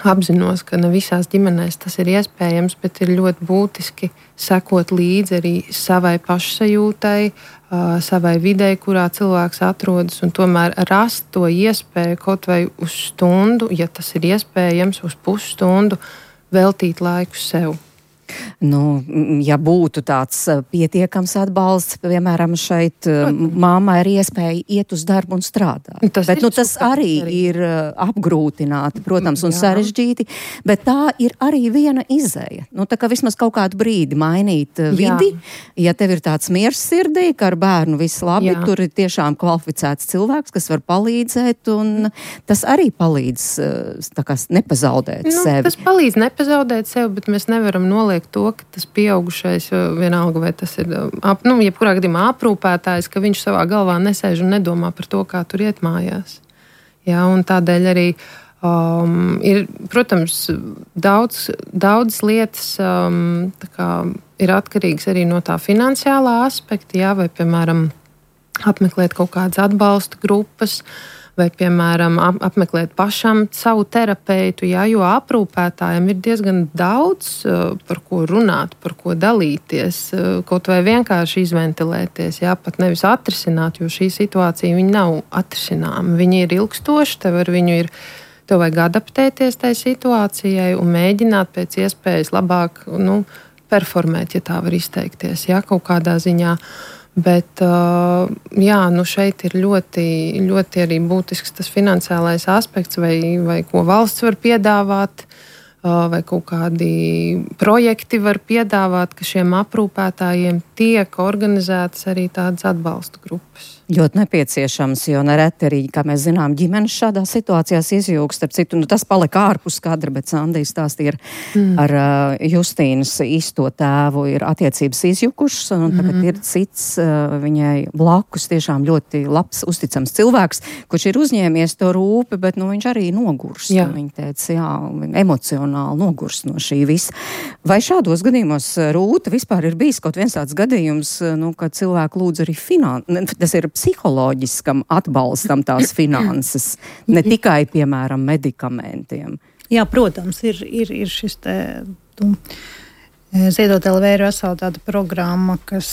apzinos, ka ne visās ģimenēs tas ir iespējams, bet ir ļoti būtiski sekot līdzi arī savai pašsajūtai, savai videi, kurā cilvēks atrodas, un tomēr rast to iespēju kaut vai uz stundu, ja tas ir iespējams, uz pusstundu veltīt laiku sev. Ja būtu tāds pietiekams atbalsts, piemēram, šeit māmai ir iespēja iet uz darbu un strādāt. Tas arī ir apgrūtināti, protams, un sarežģīti, bet tā ir arī viena izeja. Tā kā vismaz kaut kādu brīdi mainīt vidi, ja tev ir tāds miers sirdī, ka ar bērnu viss labi, tur ir tiešām kvalificēts cilvēks, kas var palīdzēt, un tas arī palīdz nepazaudēt sevi. Tas palīdz nepazaudēt sevi, bet mēs nevaram noliekt to, ka tas pieaugušais, vienalga, vai tas ir, jebkurā gadījumā aprūpētājs, ka viņš savā galvā nesēž un nedomā par to, kā tur iet mājās. Jā, un tādēļ arī ir, protams, daudz lietas ir atkarīgas arī no tā finansiālā aspekta, jā, vai, piemēram, apmeklēt kaut kādas atbalsta grupas, vai, piemēram, apmeklēt pašam savu terapeitu, jā, jo aprūpētājiem ir diezgan daudz par ko runāt, par ko dalīties, kaut vai vienkārši izventilēties, jā, pat nevis atrisināt, jo šī situācija viņa nav atrisināma. Viņa ir ilgstoša, tev vajag adaptēties tai situācijai un mēģināt pēc iespējas labāk performēt, ja tā var izteikties, jā, kaut kādā ziņā. Bet šeit ir ļoti, ļoti arī būtisks tas finansiālais aspekts, vai ko valsts var piedāvāt, vai kaut kādi projekti var piedāvāt, ka šiem aprūpētājiem tiek organizētas arī tādas atbalsta grupas. Ļoti nepieciešams, jo nereti arī, kā mēs zinām, ģimenes šādā situācijās izjūgs. Starp citu, tas palika ārpus kadra, bet Sandija stāstīja ar Justīnas īsto tēvu ir attiecības izjukušas, un tagad ir cits viņai blakus tiešām ļoti labs, uzticams cilvēks, kurš ir uzņēmies to rūpi, bet viņš arī nogurst. Viņa teica, emocionāli nogurst no šī visa. Vai šādos gadījumos, Rūta, vispār ir bijis kaut viens tāds gadījums, kad cilvēku lūdz arī tas ir psiholoģiskam atbalstam tās finanses, ne tikai, piemēram, medikamentiem? Jā, protams, ir šis te Ziedot LV ir vesela tāda programma, kas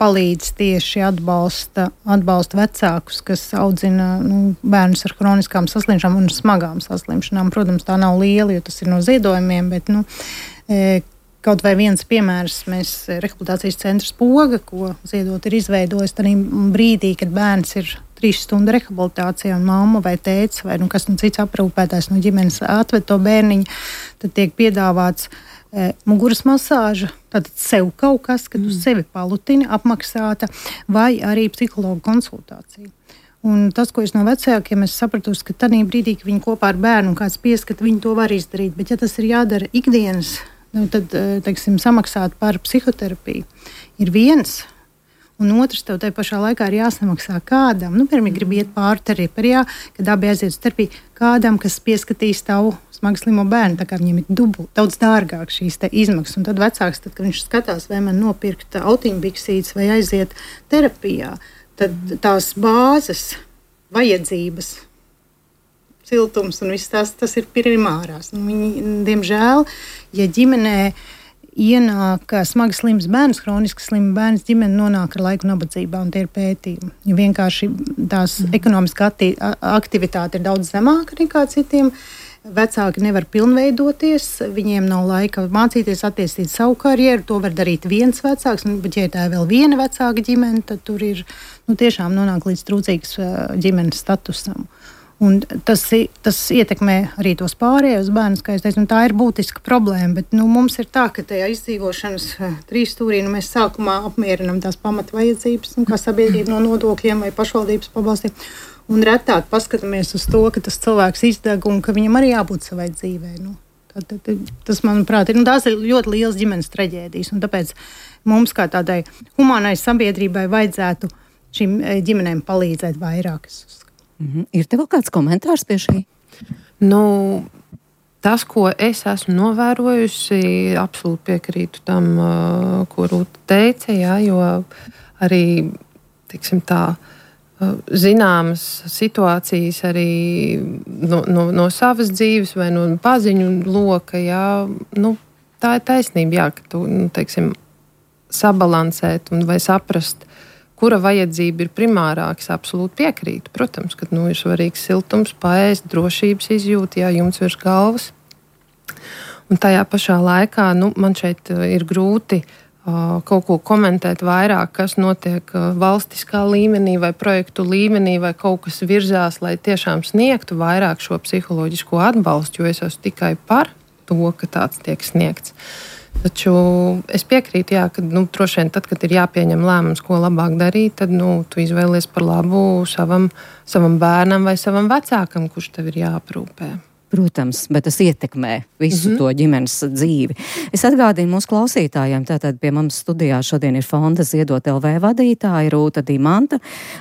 palīdz tieši atbalsta vecākus, kas audzina bērnus ar kroniskām saslimšanām un smagām saslimšanām. Protams, tā nav liela, jo tas ir no ziedojumiem, bet kaut vai viens piemērs, mēs rehabilitācijas centrs Poga, ko Ziedot ir izveidojis tādā brīdī, kad bērns ir 3 stundu rehabilitācijā un mamma vai tēvs vai kas cits aprūpētājs no ģimenes atved to bērniņu, tad tiek piedāvāts muguras masāža, tātad sev kaut kas, kad tu sevi palutini, apmaksāta, vai arī psihologa konsultācija. Un tas, ko es no vecākiem esmu sapratusi, ka tādā brīdī, kad viņi kopā ar bērnu un kāds pieskat, viņi to var izdarīt, bet ja tas ir jādara ikdienas, tad, teiksim, samaksāt par psihoterapiju ir viens, un otrs tev tajā pašā laikā ir jāsamaksā kādam, piemēram, grib iet pāri terapijā, kad abi aiziet uz terapiju, kādam, kas pieskatīs tavu smagi slimo bērnu, tā kā viņiem ir daudz dārgāk šīs izmaksas. Un tad vecāks, kad viņš skatās, vai man nopirkt autiņbiksītes vai aiziet terapijā, tad tās bāzes, vajadzības, siltums un viss tas ir primārās. Viņi, diemžēl, ja ģimenē ienāk smagi slims bērns, kroniski slims bērns, ģimene nonāk ar laiku nabadzībā, un tie ir pētījumi. Ja vienkārši tās ekonomiskā aktivitāte ir daudz zemāka nekā citiem, vecāki nevar pilnveidoties, viņiem nav laika mācīties, attīstīt savu karjeru, to var darīt viens vecāks, bet ja tā ir vēl viena vecāka ģimene, tad tur ir tiešām nonāk līdz trūcīgas ģimenes statusam. Un tas ietekmē arī tos pārējos bērnus, kā es teicu, tā ir būtiska problēma, bet mums ir tā, ka tajā izdzīvošanas 3 stūrī mēs sākumā apmierinam tās pamatvajadzības, kā sabiedrība no nodokļiem vai pašvaldības pabalstiem, un retāk paskatāmies uz to, ka tas cilvēks izdeg un ka viņam arī jābūt savai dzīvē. Tas, manuprāt, tās ir ļoti liels ģimenes traģēdijas, un tāpēc mums kā tādai humānai sabiedrībai vajadzētu šīm ģimenēm palīdzēt vairāk. Ir tev vēl kāds komentārs pie šī? Tas, ko es esmu novērojusi, absolūti piekrītu tam, ko Rūta teica, jo arī, teiksim tā, zināmas situācijas arī no savas dzīves vai no paziņu loka, tā ir taisnība, ka tu, teiksim, sabalansēt vai saprast, kura vajadzība ir primārāks, absolūti piekrītu. Protams, ka ir svarīgs siltums, paēst, drošības izjūta, jumts virs galvas. Un tajā pašā laikā man šeit ir grūti kaut ko komentēt vairāk, kas notiek valstiskā līmenī vai projektu līmenī, vai kaut kas virzās, lai tiešām sniegtu vairāk šo psiholoģisko atbalstu, jo es esmu tikai par to, ka tāds tiek sniegts. Taču es piekrītu, ka droši vien tad, kad ir jāpieņem lēmums, ko labāk darīt, tad tu izvēlies par labu savam bērnam vai savam vecākam, kurš tev ir jāaprūpē. Protams, bet tas ietekmē visu to ģimenes dzīvi. Es atgādinu mūsu klausītājiem, tātad pie mums studijā šodien ir Fonda Ziedot LV vadītāja Rūta Dimanta,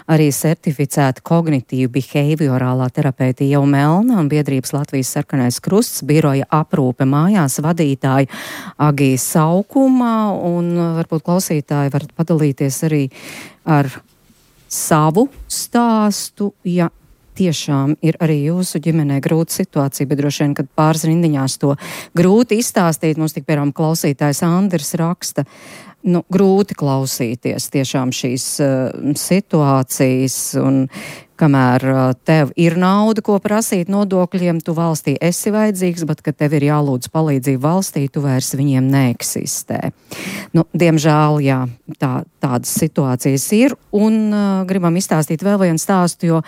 arī certificēta kognitīva behaviorālā terapeita Jau Melna un biedrības Latvijas Sarkanais Krusts biroja aprūpe mājās vadītāja Agija Saukuma, un varbūt klausītāji var padalīties arī ar savu stāstu, ja tiešām ir arī jūsu ģimenē grūta situācija, bet droši vien, kad pāris rindiņās to grūti izstāstīt, mums tik piemēram klausītājs Andris raksta, grūti klausīties tiešām šīs situācijas, un kamēr tev ir nauda, ko prasīt nodokļiem, tu valstī esi vajadzīgs, bet, kad tev ir jālūdz palīdzību valstī, tu vairs viņiem neeksistē. Diemžēl, jā, tādas situācijas ir, un gribam izstāstīt vēl vienu stāstu, jo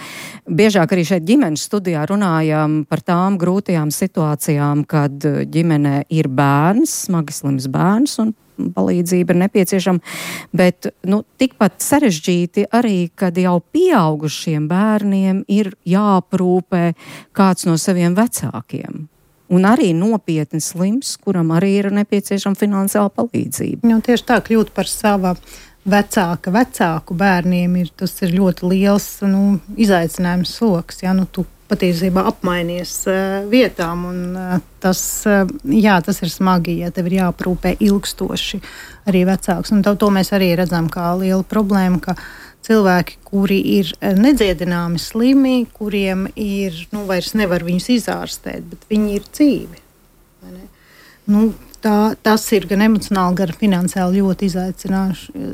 biežāk arī šeit ģimenes studijā runājam par tām grūtajām situācijām, kad ģimenē ir bērns, smagi slims bērns, un palīdzība ir nepieciešama, bet tikpat sarežģīti arī, kad jau pieaugušiem bērniem ir jāaprūpē kāds no saviem vecākiem. Un arī nopietni slims, kuram arī ir nepieciešama finansiāla palīdzība. Tieši tā, kļūt par sava vecāku bērniem tas ir ļoti liels izaicinājums sloks. Tu patiesībā apmainies vietām, un tas ir smagi, ja tev ir jāaprūpē ilgstoši arī vecāks. Un to mēs arī redzam kā lielu problēmu, ka cilvēki, kuri ir nedziedināmi slimi, kuriem ir, vairs nevar viņus izārstēt, bet viņi ir dzīvi. Tas ir gan emocionāli, gan finansiāli ļoti izaicinoši,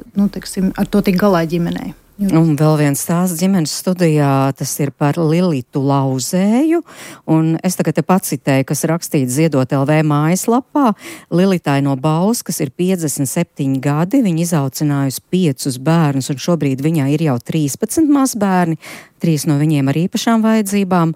ar to tik galā ģimenei. Un vēl viens stāsts ģimenes studijā, tas ir par Lilitu Lauzēju, un es tagad te pacitēju, kas rakstīts Ziedot LV mājaslapā. Lilitai no Bauskas ir 57 gadi, viņa izaucinājusi 5 bērnus, un šobrīd viņai ir jau 13 mazbērni, 3 no viņiem ar īpašām vajadzībām.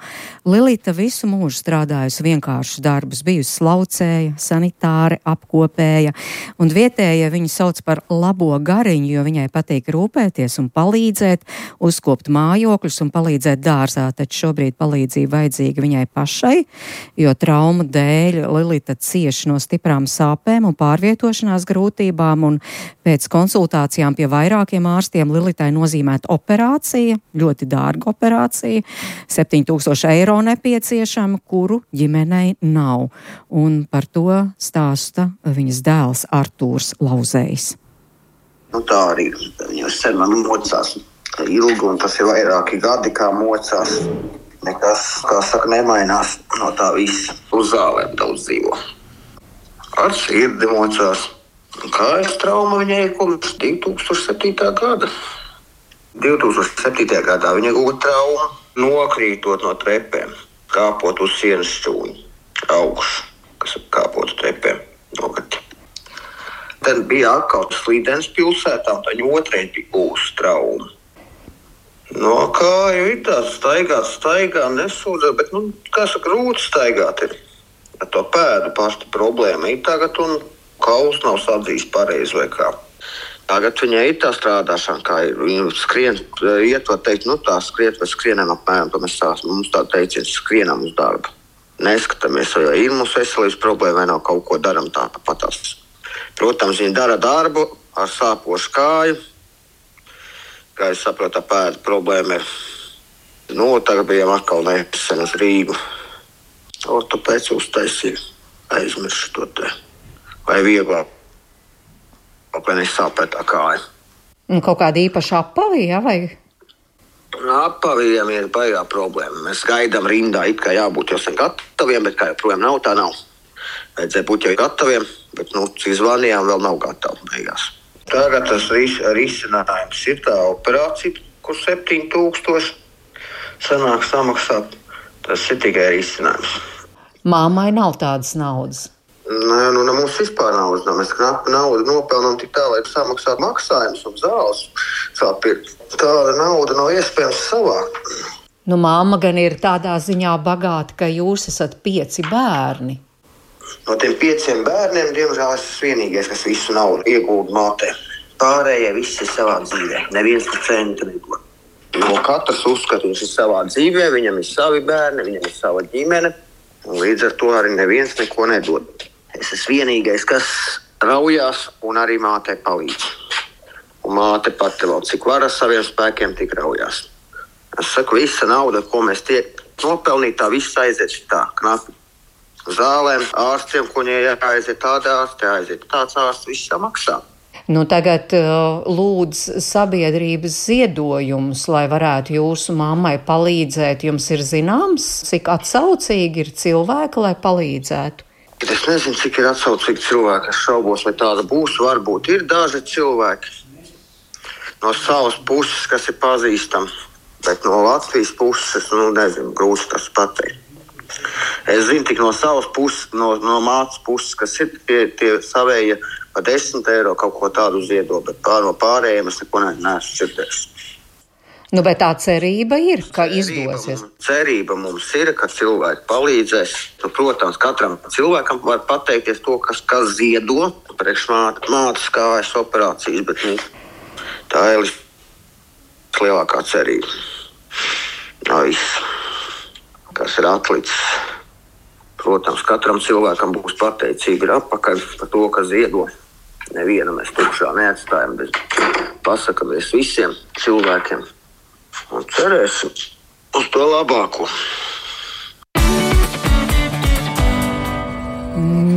Lilita visu mūžu strādājusi vienkāršus darbus, bijusi slaucēja, sanitāre, apkopēja, un vietējie viņu sauc par labo gariņu, jo viņai patīk rūpēties un palīdzēt, uzkopt mājokļus un palīdzēt dārzā, taču šobrīd palīdzība vajadzīga viņai pašai, jo traumu dēļ Lilita cieši no stiprām sāpēm un pārvietošanās grūtībām, un pēc konsultācijām pie vairākiem ārstiem Lilitai nozīmēta operācija, ļoti dārga operācija, 7000 eiro nepieciešama, kuru ģimenei nav. Un par to stāsta viņas dēls Artūrs Lauzējs. Tā arī viņa sen man mocās ilgi, un tas ir vairāki gadi, kā mocās. Nekas, kā saka, nemainās no tā visa. Uz zālēm daudz dzīvo. Ar sirdi mocās. Kājas trauma viņai ir kopš 2007. gada. 2007. gadā viņa gūta traumu, nokrītot no trepēm, kāpot uz sienas šķūņu, augšu, kas kāpot uz trepēm, nokati. Tad bija atkal slīdens pilsētā, un viņa otrais bija gūsta trauma. Kā jau ir tāds staigā, nesūdzē, bet, kā saka, grūti staigāt ir. Ar to pēdu pasta problēma ir tagad, un kauls nav sadzījis pareizi vai kā. Tagad viņai ir tā strādāšana, kā ir. Viņa skrien, iet, var teikt, tā skriet vai skrienam apmēram, to mums tā teiciens, skrienam uz darbu. Neskatāmies, vai ir mums veselības problēma, vai nav kaut ko daram tāpatās. Protams, viņa dara darbu ar sāpošu kāju. Kā es saprotu, tā pēda problēma ir. Tagad bijām atkal nesen uz Rīgu. Ortopēds uztaisīja, aizmiršu to te. Vai vieglāk. Vai nesāpētā kāja. Kaut kāda īpaša apavī, ja, vai? Apavījiem ir baigā problēma. Mēs gaidām rindā, it kā jābūt jau sen gataviem, bet kā joprojām nav, tā nav. Vajadzēja būt jau gataviem, bet, cik zvanījām, vēl nav gatavi beigās. Tagad tas risinājums ir tā operācija, kur 7000 sanāk samaksāt. Tas ir tikai risinājums. Māmai nav tādas naudas. Mums vispār naudas nav. Mēs knapi naudu nopelnām tik tā, lai samaksātu maksājumus un zāles. Tāda nauda nav iespējams savākt. Māma gan ir tādā ziņā bagāta, ka jūs esat 5 bērni. No tiem 5 bērniem, diemžēl, es esmu vienīgais, kas visu naudu iegūda mātē. Pārējie visi ir savā dzīvē. Neviens par centi nedod. Katrs uzskata, viņš ir savā dzīvē, viņam ir savi bērni, viņam ir sava ģimene. Un līdz ar to arī neviens neko nedod. Es esmu vienīgais, kas raujās un arī mātei palīdz. Un māte pati vēl cik var ar saviem spēkiem, tik raujās. Es saku, visa nauda, ko mēs tiek nopelnīt, tā viss aiziet tā, knapi. Zālēm, ārstiem, ko viņai jāaiziet tāda ārsti, jāaiziet tāds ārsts, viss jāmaksā. Tagad lūdz sabiedrības ziedojumus, lai varētu jūsu mammai palīdzēt. Jums ir zināms, cik atsaucīgi ir cilvēki, lai palīdzētu? Es nezinu, cik ir atsaucīgi cilvēki. Es šaubos, vai tāda būs. Varbūt ir daži cilvēki no savas puses, kas ir pazīstami. Bet no Latvijas puses, nezinu, grūti tas pateikt. Es zinu tik no savas puses, no mātes puses, kas ir tie savējie pa 10 eiro kaut ko tādu ziedo, bet no pārējiem es neko neesmu dzirdējis. Bet tā cerība ir, ka izdosies. Cerība mums ir, ka cilvēki palīdzēs. Protams, katram cilvēkam var pateikties to, kas ziedo priekš mātes kājas operācijas, bet tā ir lielākā cerība. Viss, kas ir atlicis. Protams, katram cilvēkam būs pateicīgi atpakaļ par to, ka ziedo. Nevienu mēs tukšā neatstājam, bet pasakamies visiem cilvēkiem. Un cerēsim uz to labāko.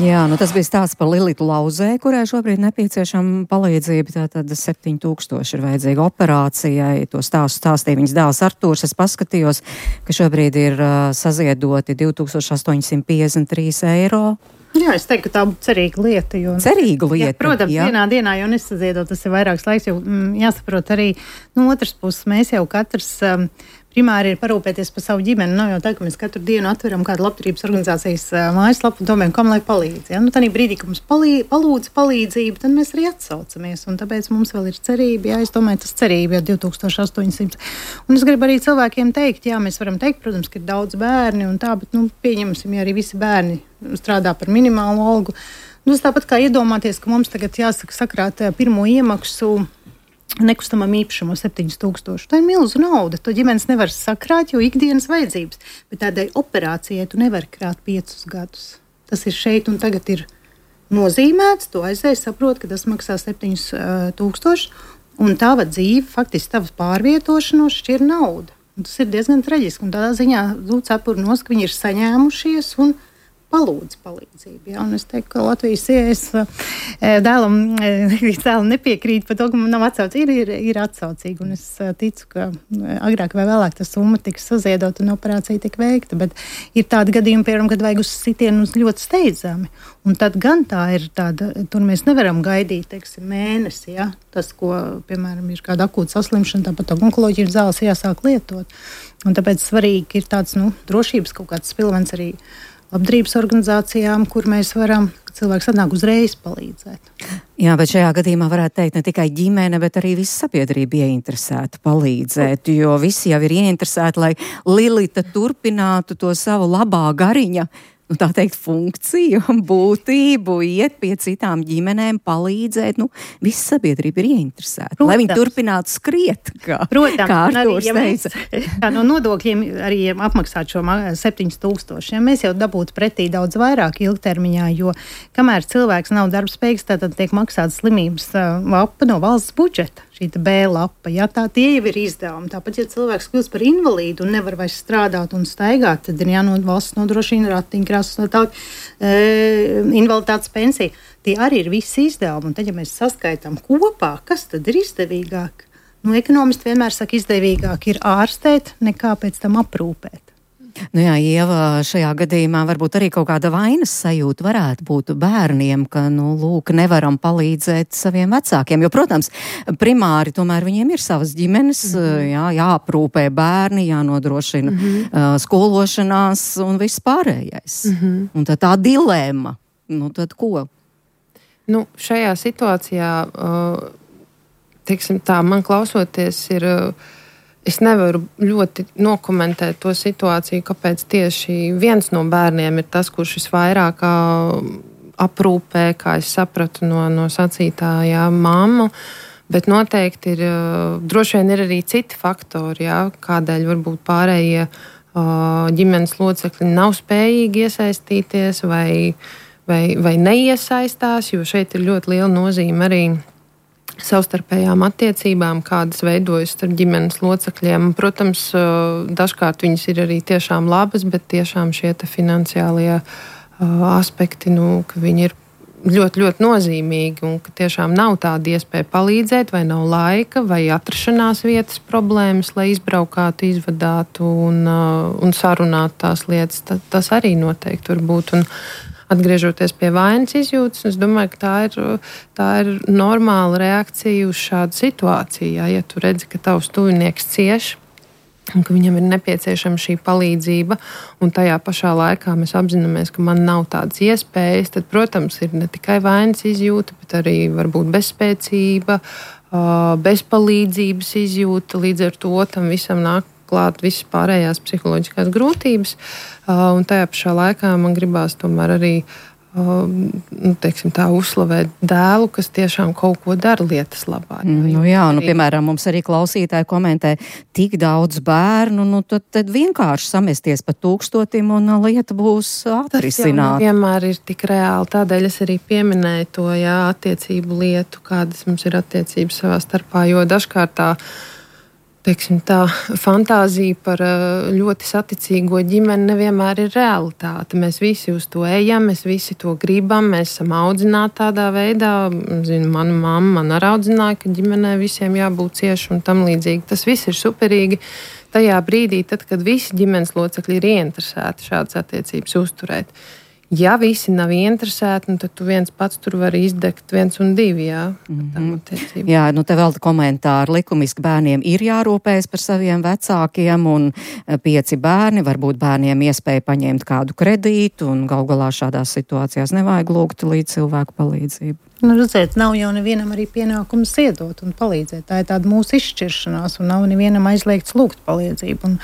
Jā, tas bija stāsts par Lilitu Lauzēju, kurai šobrīd nepieciešama palīdzība. Tātad 7000 ir vajadzīga operācijai. To stāstīja viņas dēls Artūrs. Es paskatījos, ka šobrīd ir saziedoti 2853 eiro. Jā, es teiktu, ka tā būtu cerīga lieta. Jo, cerīga lieta. Jā, protams, vienā dienā jau nesaziedot, tas ir vairāks laiks, jo jāsaprot arī no otras puses. Mēs jau katrs primāri ir parūpēties par savu ģimeni. Nav jau tā, ka mēs katru dienu atveram kādu labdarības organizācijas mājaslapu un domājam, kam lai palīdz. Ja? Tādā brīdī, kad mums palūdz palīdzību, tad mēs arī atsaucamies. Un tāpēc mums vēl ir cerība. Jā, es domāju, tas cerība jau 2800. Un es gribu arī cilvēkiem teikt, jā, mēs varam teikt, protams, ka ir daudz bērni un tā, bet pieņemsim, ja arī visi bērni strādā par minimālu algu. Tas tāpat kā iedomāties, ka mums tagad jāsaka sakrāt pirmo iemaksu nekustamam īpašumam 7000. Tā ir milzu nauda. To ģimenes nevar sakrāt, jo ikdienas vajadzības. Bet tādai operācijai tu nevari krāt 5 gadus. Tas ir šeit un tagad ir nozīmēts. Tu aizēji, saproti, ka tas maksā 7000. Un tava dzīve, faktiski tavas pārvietošanos šķir nauda. Un tas ir diezgan traģiski. Un tādā ziņā cepuri nos, ka viņi ir saņēmušies un palūdz palīdzību. Ja? Un es teiktu, ka Latvijas sievietes dēlam nepiekrīt par to, ka man nav atsaucīga. Ir atsaucīga. Un es ticu, ka agrāk vai vēlāk tā summa tiks saziedota un operācija tik veikta. Bet ir tādi gadījumi, piemēram, kad vajag uz sitienu ļoti steidzami. Un tad gan tā ir tāda, tur mēs nevaram gaidīt, teiksim, mēnesi. Ja? Tas, ko, piemēram, ir kāda akūta saslimšana, tāpat onkoloģijas zāles jāsāk lietot. Un tāpēc svarīgi ir tāds, drošības kaut kāds spilvens arī labdarības organizācijām, kur mēs varam, ka cilvēks atnāk uzreiz palīdzēt. Jā, bet šajā gadījumā varētu teikt ne tikai ģimene, bet arī visa sabiedrība ieinteresēta palīdzēt, jo visi jau ir ieinteresēti, lai Lilita turpinātu to savu labā gariņa, tā teikt, funkciju, būtību, iet pie citām ģimenēm, palīdzēt. Visa sabiedrība ir ieinteresēta, lai viņi turpinātu skriet, kā Artūrs teica. No nodokļiem arī apmaksāt šo 7000. Ja mēs jau dabūtu pretī daudz vairāk ilgtermiņā, jo kamēr cilvēks nav darbspējīgs, tad tiek maksāta slimības lapa no valsts budžeta. Šī B lapa, ja tie jau ir izdevumi. Tāpat, ja cilvēks kļūst par invalīdu un nevar vairs strādāt un staigāt, tad ir valsts nodrošina ratiņkrāsas un tā invaliditātes pensija. Tie arī ir visi izdevumi. Un tad, ja mēs saskaitām kopā, kas tad ir izdevīgāk? Ekonomisti vienmēr saka, izdevīgāk ir ārstēt, nekā pēc tam aprūpēt. Jā, Ieva, šajā gadījumā varbūt arī kaut kāda vainas sajūta varētu būt bērniem, ka, lūk, nevaram palīdzēt saviem vecākiem, jo, protams, primāri tomēr viņiem ir savas ģimenes, jāaprūpē bērni, jānodrošina skološanās un viss pārējais. Un tā dilēma, tad ko? Šajā situācijā, teiksim tā, man klausoties ir... Es nevaru ļoti nokomentēt to situāciju, kāpēc tieši viens no bērniem ir tas, kurš visvairāk aprūpē, kā es sapratu no sacītājā, mammu. Bet noteikti ir, droši vien ir arī citi faktori, kādēļ varbūt pārējie ģimenes locekļi nav spējīgi iesaistīties vai neiesaistās, jo šeit ir ļoti liela nozīme arī savstarpējām attiecībām, kādas veidojas starp ģimenes locekļiem. Protams, dažkārt viņas ir arī tiešām labas, bet tiešām šie finansiālie aspekti, ka viņi ir ļoti, ļoti nozīmīgi un ka tiešām nav tāda iespēja palīdzēt, vai nav laika, vai atrašanās vietas problēmas, lai izbraukātu, izvadātu un sarunātu tās lietas. Tas arī noteikti var būt. Un atgriežoties pie vainas izjūtas, es domāju, ka tā ir normāla reakcija uz šādu situāciju. Ja tu redzi, ka tavs tuvinieks cieš un ka viņam ir nepieciešama šī palīdzība, un tajā pašā laikā mēs apzināmies, ka man nav tādas iespējas, tad, protams, ir ne tikai vainas izjūta, bet arī varbūt bezspēcība, bezpalīdzības izjūta. Līdz ar to tam visam nāk klāt visas pārējās psiholoģiskās grūtības, un tajā pašā laikā man gribās tomēr arī uzslavēt dēlu, kas tiešām kaut ko dara lietas labā. Piemēram, mums arī klausītāji komentē, tik daudz bērnu, tad vienkārši samesties pa 1000 un lieta būs atrisināta. Tas jau vienmēr ir tik reāli, tādēļ es arī pieminēju to, attiecību lietu, kādas mums ir attiecības savā starpā, jo dažkārt tā fantāzija par ļoti saticīgo ģimeni nevienmēr ir realitāte. Mēs visi uz to ejam, mēs visi to gribam, mēs esam audzināti tādā veidā. Mana mamma man arī audzināja, ka ģimenē visiem jābūt cieši un tam līdzīgi. Tas viss ir superīgi tajā brīdī, tad, kad visi ģimenes locekļi ir ieinteresēti šādas attiecības uzturēt. Ja visi nav interesēti, tad tu viens pats tur vari izdegt 1 un 2, jā. Jā, te vēl komentāri. Likumiski bērniem ir jārūpējas par saviem vecākiem, un 5 bērni, varbūt bērniem iespēja paņemt kādu kredītu, un gal galā šādās situācijās nevajag lūgt līdz cilvēku palīdzību. Redziet, nav jau nevienam arī pienākums ziedot un palīdzēt. Tā ir tāda mūsu izšķiršanās, un nav nevienam aizliegts lūgt palīdzību. Un,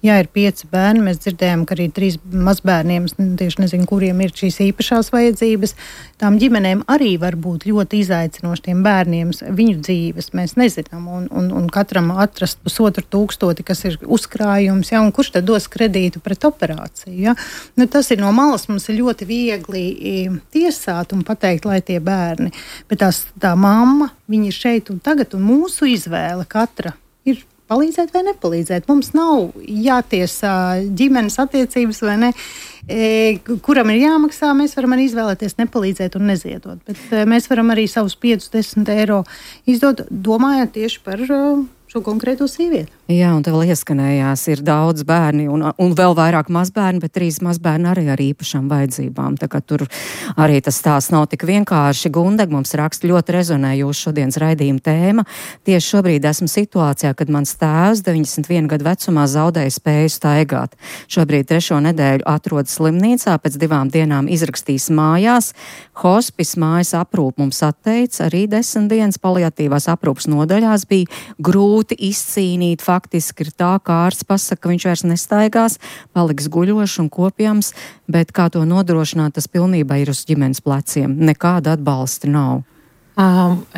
ja ir 5 bērni, mēs dzirdējām, ka arī 3 mazbērniem, tieši nezinu, kuriem ir šīs īpašās vajadzības, tām ģimenēm arī var būt ļoti izaicinoši tiem bērniem viņu dzīves. Mēs nezinām, un katram atrast 1,500, kas ir uzkrājums, ja, un kurš tad dos kredītu pret operāciju. Ja? Tas ir no malas, mums ir ļoti viegli tiesāt un pateikt, lai tie bērni. Bet tā mamma, viņa ir šeit un tagad, un mūsu izvēle katra ir palīdzēt vai nepalīdzēt. Mums nav jātiesā ģimenes attiecības vai ne. Kuram ir jāmaksā, mēs varam arī izvēlēties nepalīdzēt un neziedot. Bet mēs varam arī savus 5-10 eiro izdot, domājot tieši par šo konkrēto sievieti. Jā, un te vēl ieskanējās, ir daudz bērni un vēl vairāk mazbērni, bet 3 mazbērni arī ar īpašām vajadzībām. Tā kā tur arī tas stāsts nav tik vienkārši. Gundeg mums raksta, ļoti rezonē jūsu šodienas raidījuma tēma. Tieši šobrīd esmu situācijā, kad mans tēvs 91 gadu vecumā zaudēja spēju staigāt. Šobrīd 3. nedēļu atrodas slimnīcā, pēc 2 dienām izrakstīs mājās. Hospis mājas aprūp mums atteica, arī 10 dienas paliatīvās aprūpas nodaļās bija grūti izcīnīt. Faktiski ir tā, kā ārsts pasaka, ka viņš vairs nestaigās, paliks guļošs un kopjams, bet kā to nodrošināt, tas pilnībā ir uz ģimenes pleciem. Nekāda atbalsta nav.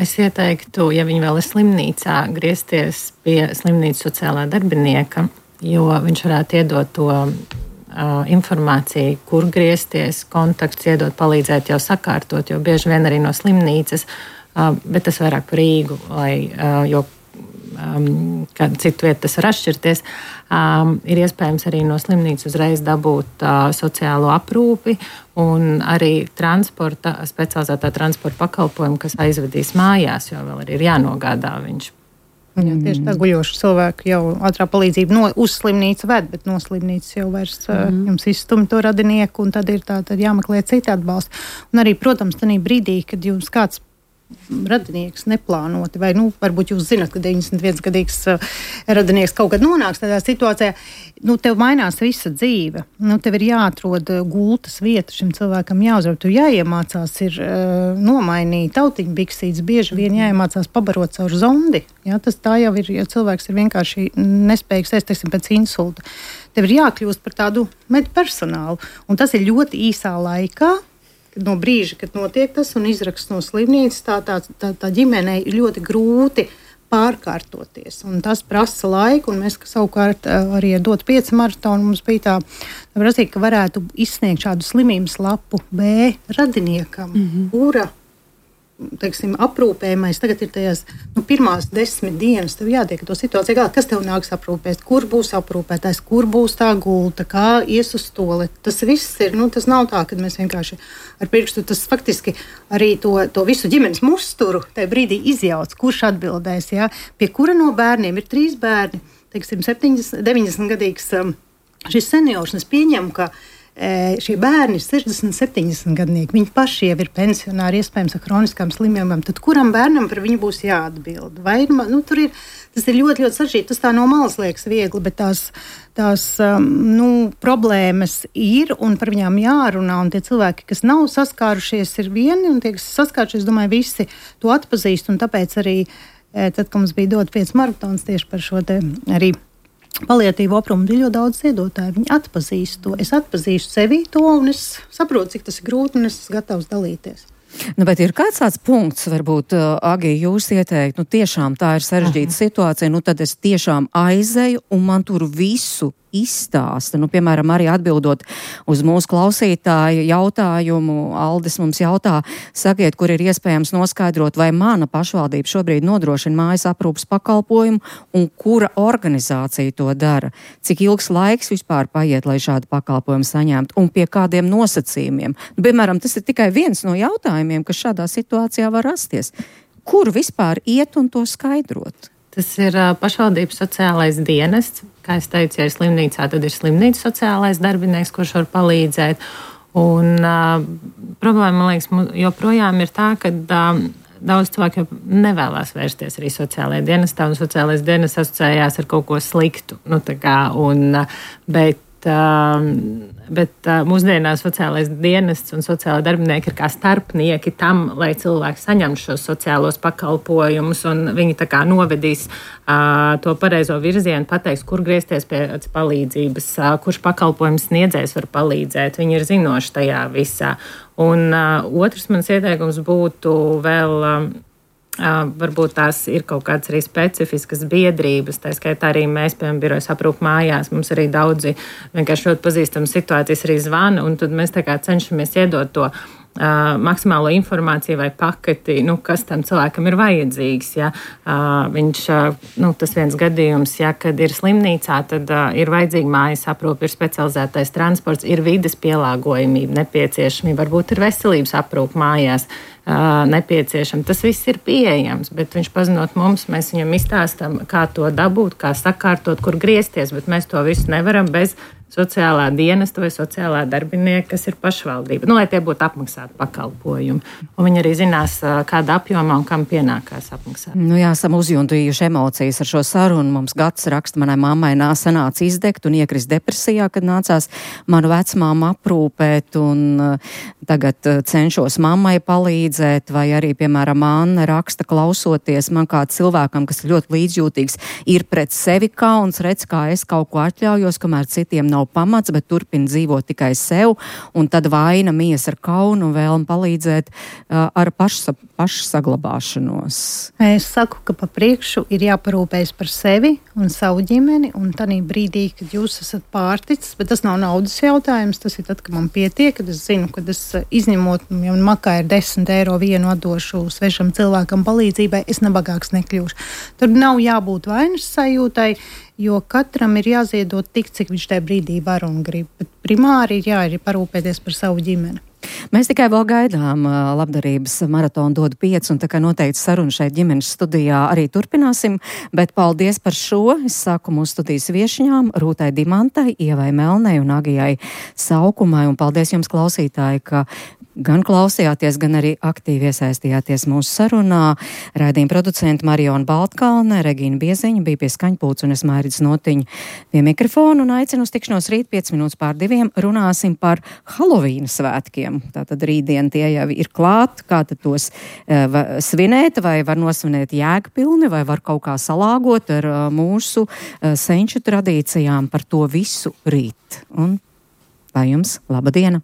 Es ieteiktu, ja viņi vēl ir slimnīcā, griezties pie slimnīcas sociālā darbinieka, jo viņš varētu iedot to informāciju, kur griezties, kontakts iedot, palīdzēt jau sakārtot, jo bieži vien arī no slimnīcas, bet tas vairāk par Rīgu, jo kādu citu vietu tas var atšķirties, ir iespējams arī no slimnīcas uzreiz dabūt sociālo aprūpi un arī specializētā transporta pakalpojumu, kas aizvedīs mājās, jo vēl arī ir jānogādā viņš. Jā, tieši tā guļoša cilvēku jau ātrā palīdzība uz slimnīcu ved, bet no slimnīcas jau vairs jums izstumj to radinieku, un tad ir tad jāmeklē citi atbalsti. Un arī, protams, tanī brīdī, kad jums kāds radinieks neplānoti, vai varbūt jūs zināt, ka 91-gadīgs radinieks kaut kad nonāks tādā situācijā, tev mainās visa dzīve. Tev ir jāatrod gultas vieta šim cilvēkam jāuzvar. Tu jāiemācās ir nomainīt tautiņu biksītes, bieži vien jāiemācās pabarot caur zondi. Ja, tā jau ir, ja cilvēks ir vienkārši nespējīgs teiksim, pēc insulta. Tev ir jākļūst par tādu medpersonālu, un tas ir ļoti īsā laikā. No brīža, kad notiek tas un izraksts no slimnīcas, tā ģimenei ir ļoti grūti pārkārtoties. Un tas prasa laiku, un mēs savukārt arī dot 5 maratonu. Mums bija tā prasība, ka varētu izsniegt šādu slimības lapu B radiniekam, kura teiksim, aprūpējumais tagad ir tajās pirmās 10 dienas. Tev jātiek to situāciju galā, kas tev nāks aprūpēt, kur būs aprūpētājs, kur būs tā gulta, kā ies uz toleti. Tas viss ir, tas nav tā, ka mēs vienkārši ar pirkstu, tas faktiski arī to visu ģimenes musturu tajā brīdī izjauc, kurš atbildēs, ja? Pie kura no bērniem ir 3 bērni, teiksim, 90-gadīgs šis seniors, un es pieņemu, ka šie bērni ir 60-70 gadnieki. Viņi paši jau ir pensionāri, iespējams, ar kroniskām slimībām. Tad kuram bērnam par viņu būs jāatbild? Vai, tas ir ļoti, ļoti sarežģīti. Tas tā no malas liekas viegli, bet tās problēmas ir un par viņām jārunā. Un tie cilvēki, kas nav saskārušies, ir vieni, un tie, kas saskārušies, domāju, visi to atpazīst. Un tāpēc arī, tad, kad mums bija dot 5 maratons tieši par šo te arī paliatīvu aprūpi, ir ļoti daudz ziedotāju. Viņi atpazīst to. Es atpazīstu sevi to, un es saprotu, cik tas ir grūti, un es esmu gatavs dalīties. Bet ir kāds tāds punkts, varbūt, Agi, jūs ieteikt, tiešām tā ir sarežģīta situācija, tad es tiešām aizeju, un man tur visu izstāsta. Piemēram, arī atbildot uz mūsu klausītāju jautājumu, Aldis mums jautā, sakiet, kur ir iespējams noskaidrot, vai mana pašvaldība šobrīd nodrošina mājas aprūpas pakalpojumu un kura organizācija to dara. Cik ilgs laiks vispār paiet, lai šādu pakalpojumu saņemtu un pie kādiem nosacījumiem. Piemēram, tas ir tikai viens no jautājumiem, kas šādā situācijā var rasties. Kur vispār iet un to skaidrot? Tas ir pašvaldības sociālais dienests. Kā es teicu, ja ir slimnīcā, tad ir slimnīcas sociālais darbinieks, kurš var palīdzēt. Un problēma, man liekas, joprojām ir tā, ka daudz cilvēku nevēlas vērsties arī sociālajā dienestā, un sociālais dienests asociējās ar kaut ko sliktu. Bet mūsdienās sociālais dienests un sociālai darbinieki ir kā starpnieki tam, lai cilvēki saņem šos sociālos pakalpojumus, un viņi tā kā novedīs to pareizo virzienu, pateiks, kur griezties pēc palīdzības, kurš pakalpojums sniedzējs var palīdzēt. Viņi ir zinoši tajā visā. Un otrs mans ieteikums būtu vēl. Varbūt tās ir kaut kādas arī specifiskas biedrības, tā skaitā arī mēs, piemēram, birojas aprūp mājās, mums arī daudzi vienkārši ļoti pazīstamas situācijas arī zvana, un tad mēs tā kā cenšamies iedot to maksimālo informāciju vai paketi, kas tam cilvēkam ir vajadzīgs. Ja. Viņš, tas viens gadījums, ja, kad ir slimnīcā, tad ir vajadzīga mājas aprūpe, ir specializētais transports, ir vides pielāgojamība nepieciešamība, varbūt ir veselības aprūpe mājās nepieciešama. Tas viss ir pieejams, bet viņš pazinot mums, mēs viņam izstāstam, kā to dabūt, kā sakārtot, kur griezties, bet mēs to visu nevaram bez sociālā dienesta vai sociālā darbinieka, kas ir pašvaldība. Lai tie būtu apmaksāti pakalpojumi. Un viņi arī zinās, kāda apjomā un kam pienākās apmaksāt. Esam uzjuntījuši emocijas ar šo sarunu. Mums Gads raksta, manai mammai sanāca izdegt un iekrist depresijā, kad nācās manu vecmāmu aprūpēt, un tagad cenšos mammai palīdzēt, vai arī, piemēram, Anna raksta, klausoties man kā cilvēkam, kas ļoti līdzjūtīgs, ir pret sevi kauns, redz, kā es kaut ko atļaujos, kamēr citiem nav pamats, bet turpina dzīvot tikai sev, un tad vaina mies ar kaunu un vēlmi palīdzēt ar pašsaglabāšanos. Es saku, ka pa priekšu ir jāparūpējas par sevi un savu ģimeni, un tādā brīdī, kad jūs esat pārticis, bet tas nav naudas jautājums, tas ir tad, kad man pietiek, kad es zinu, kad es izņemot, ja man makā ir 10 eiro vienu atdošu svešam cilvēkam palīdzībai, es nebagāks nekļūšu. Tur nav jābūt vainas sajūtai, jo katram ir jāziedot tik, cik viņš tajā brīdī var un grib. Bet primāri ir parūpēties par savu ģimeni. Mēs tikai vēl gaidām labdarības maratonu Dod 5, un tā kā noteikti sarunu šeit ģimenes studijā arī turpināsim, bet paldies par šo. Es saku mūsu studijas viešņām Rūtai Dimantai, Ievai Melnei un Agijai Saukumai, un paldies jums, klausītāji, ka gan klausījāties, gan arī aktīvi iesaistījāties mūsu sarunā. Raidījuma producenti Mariona Baltkalne, Regīna Bieziņa bija pie skaņpults, un es Mairidis Notiņa pie mikrofona, un aicinu uz tikšanos rīt 5:05. Runāsim par Halovīna svētkiem. Tātad rītdien tie jau ir klāt, kā tad tos svinēt, vai var nosvinēt jēgpilni, vai var kaut kā salāgot ar mūsu senču tradīcijām. Par to visu rīt. Un lai jums laba diena!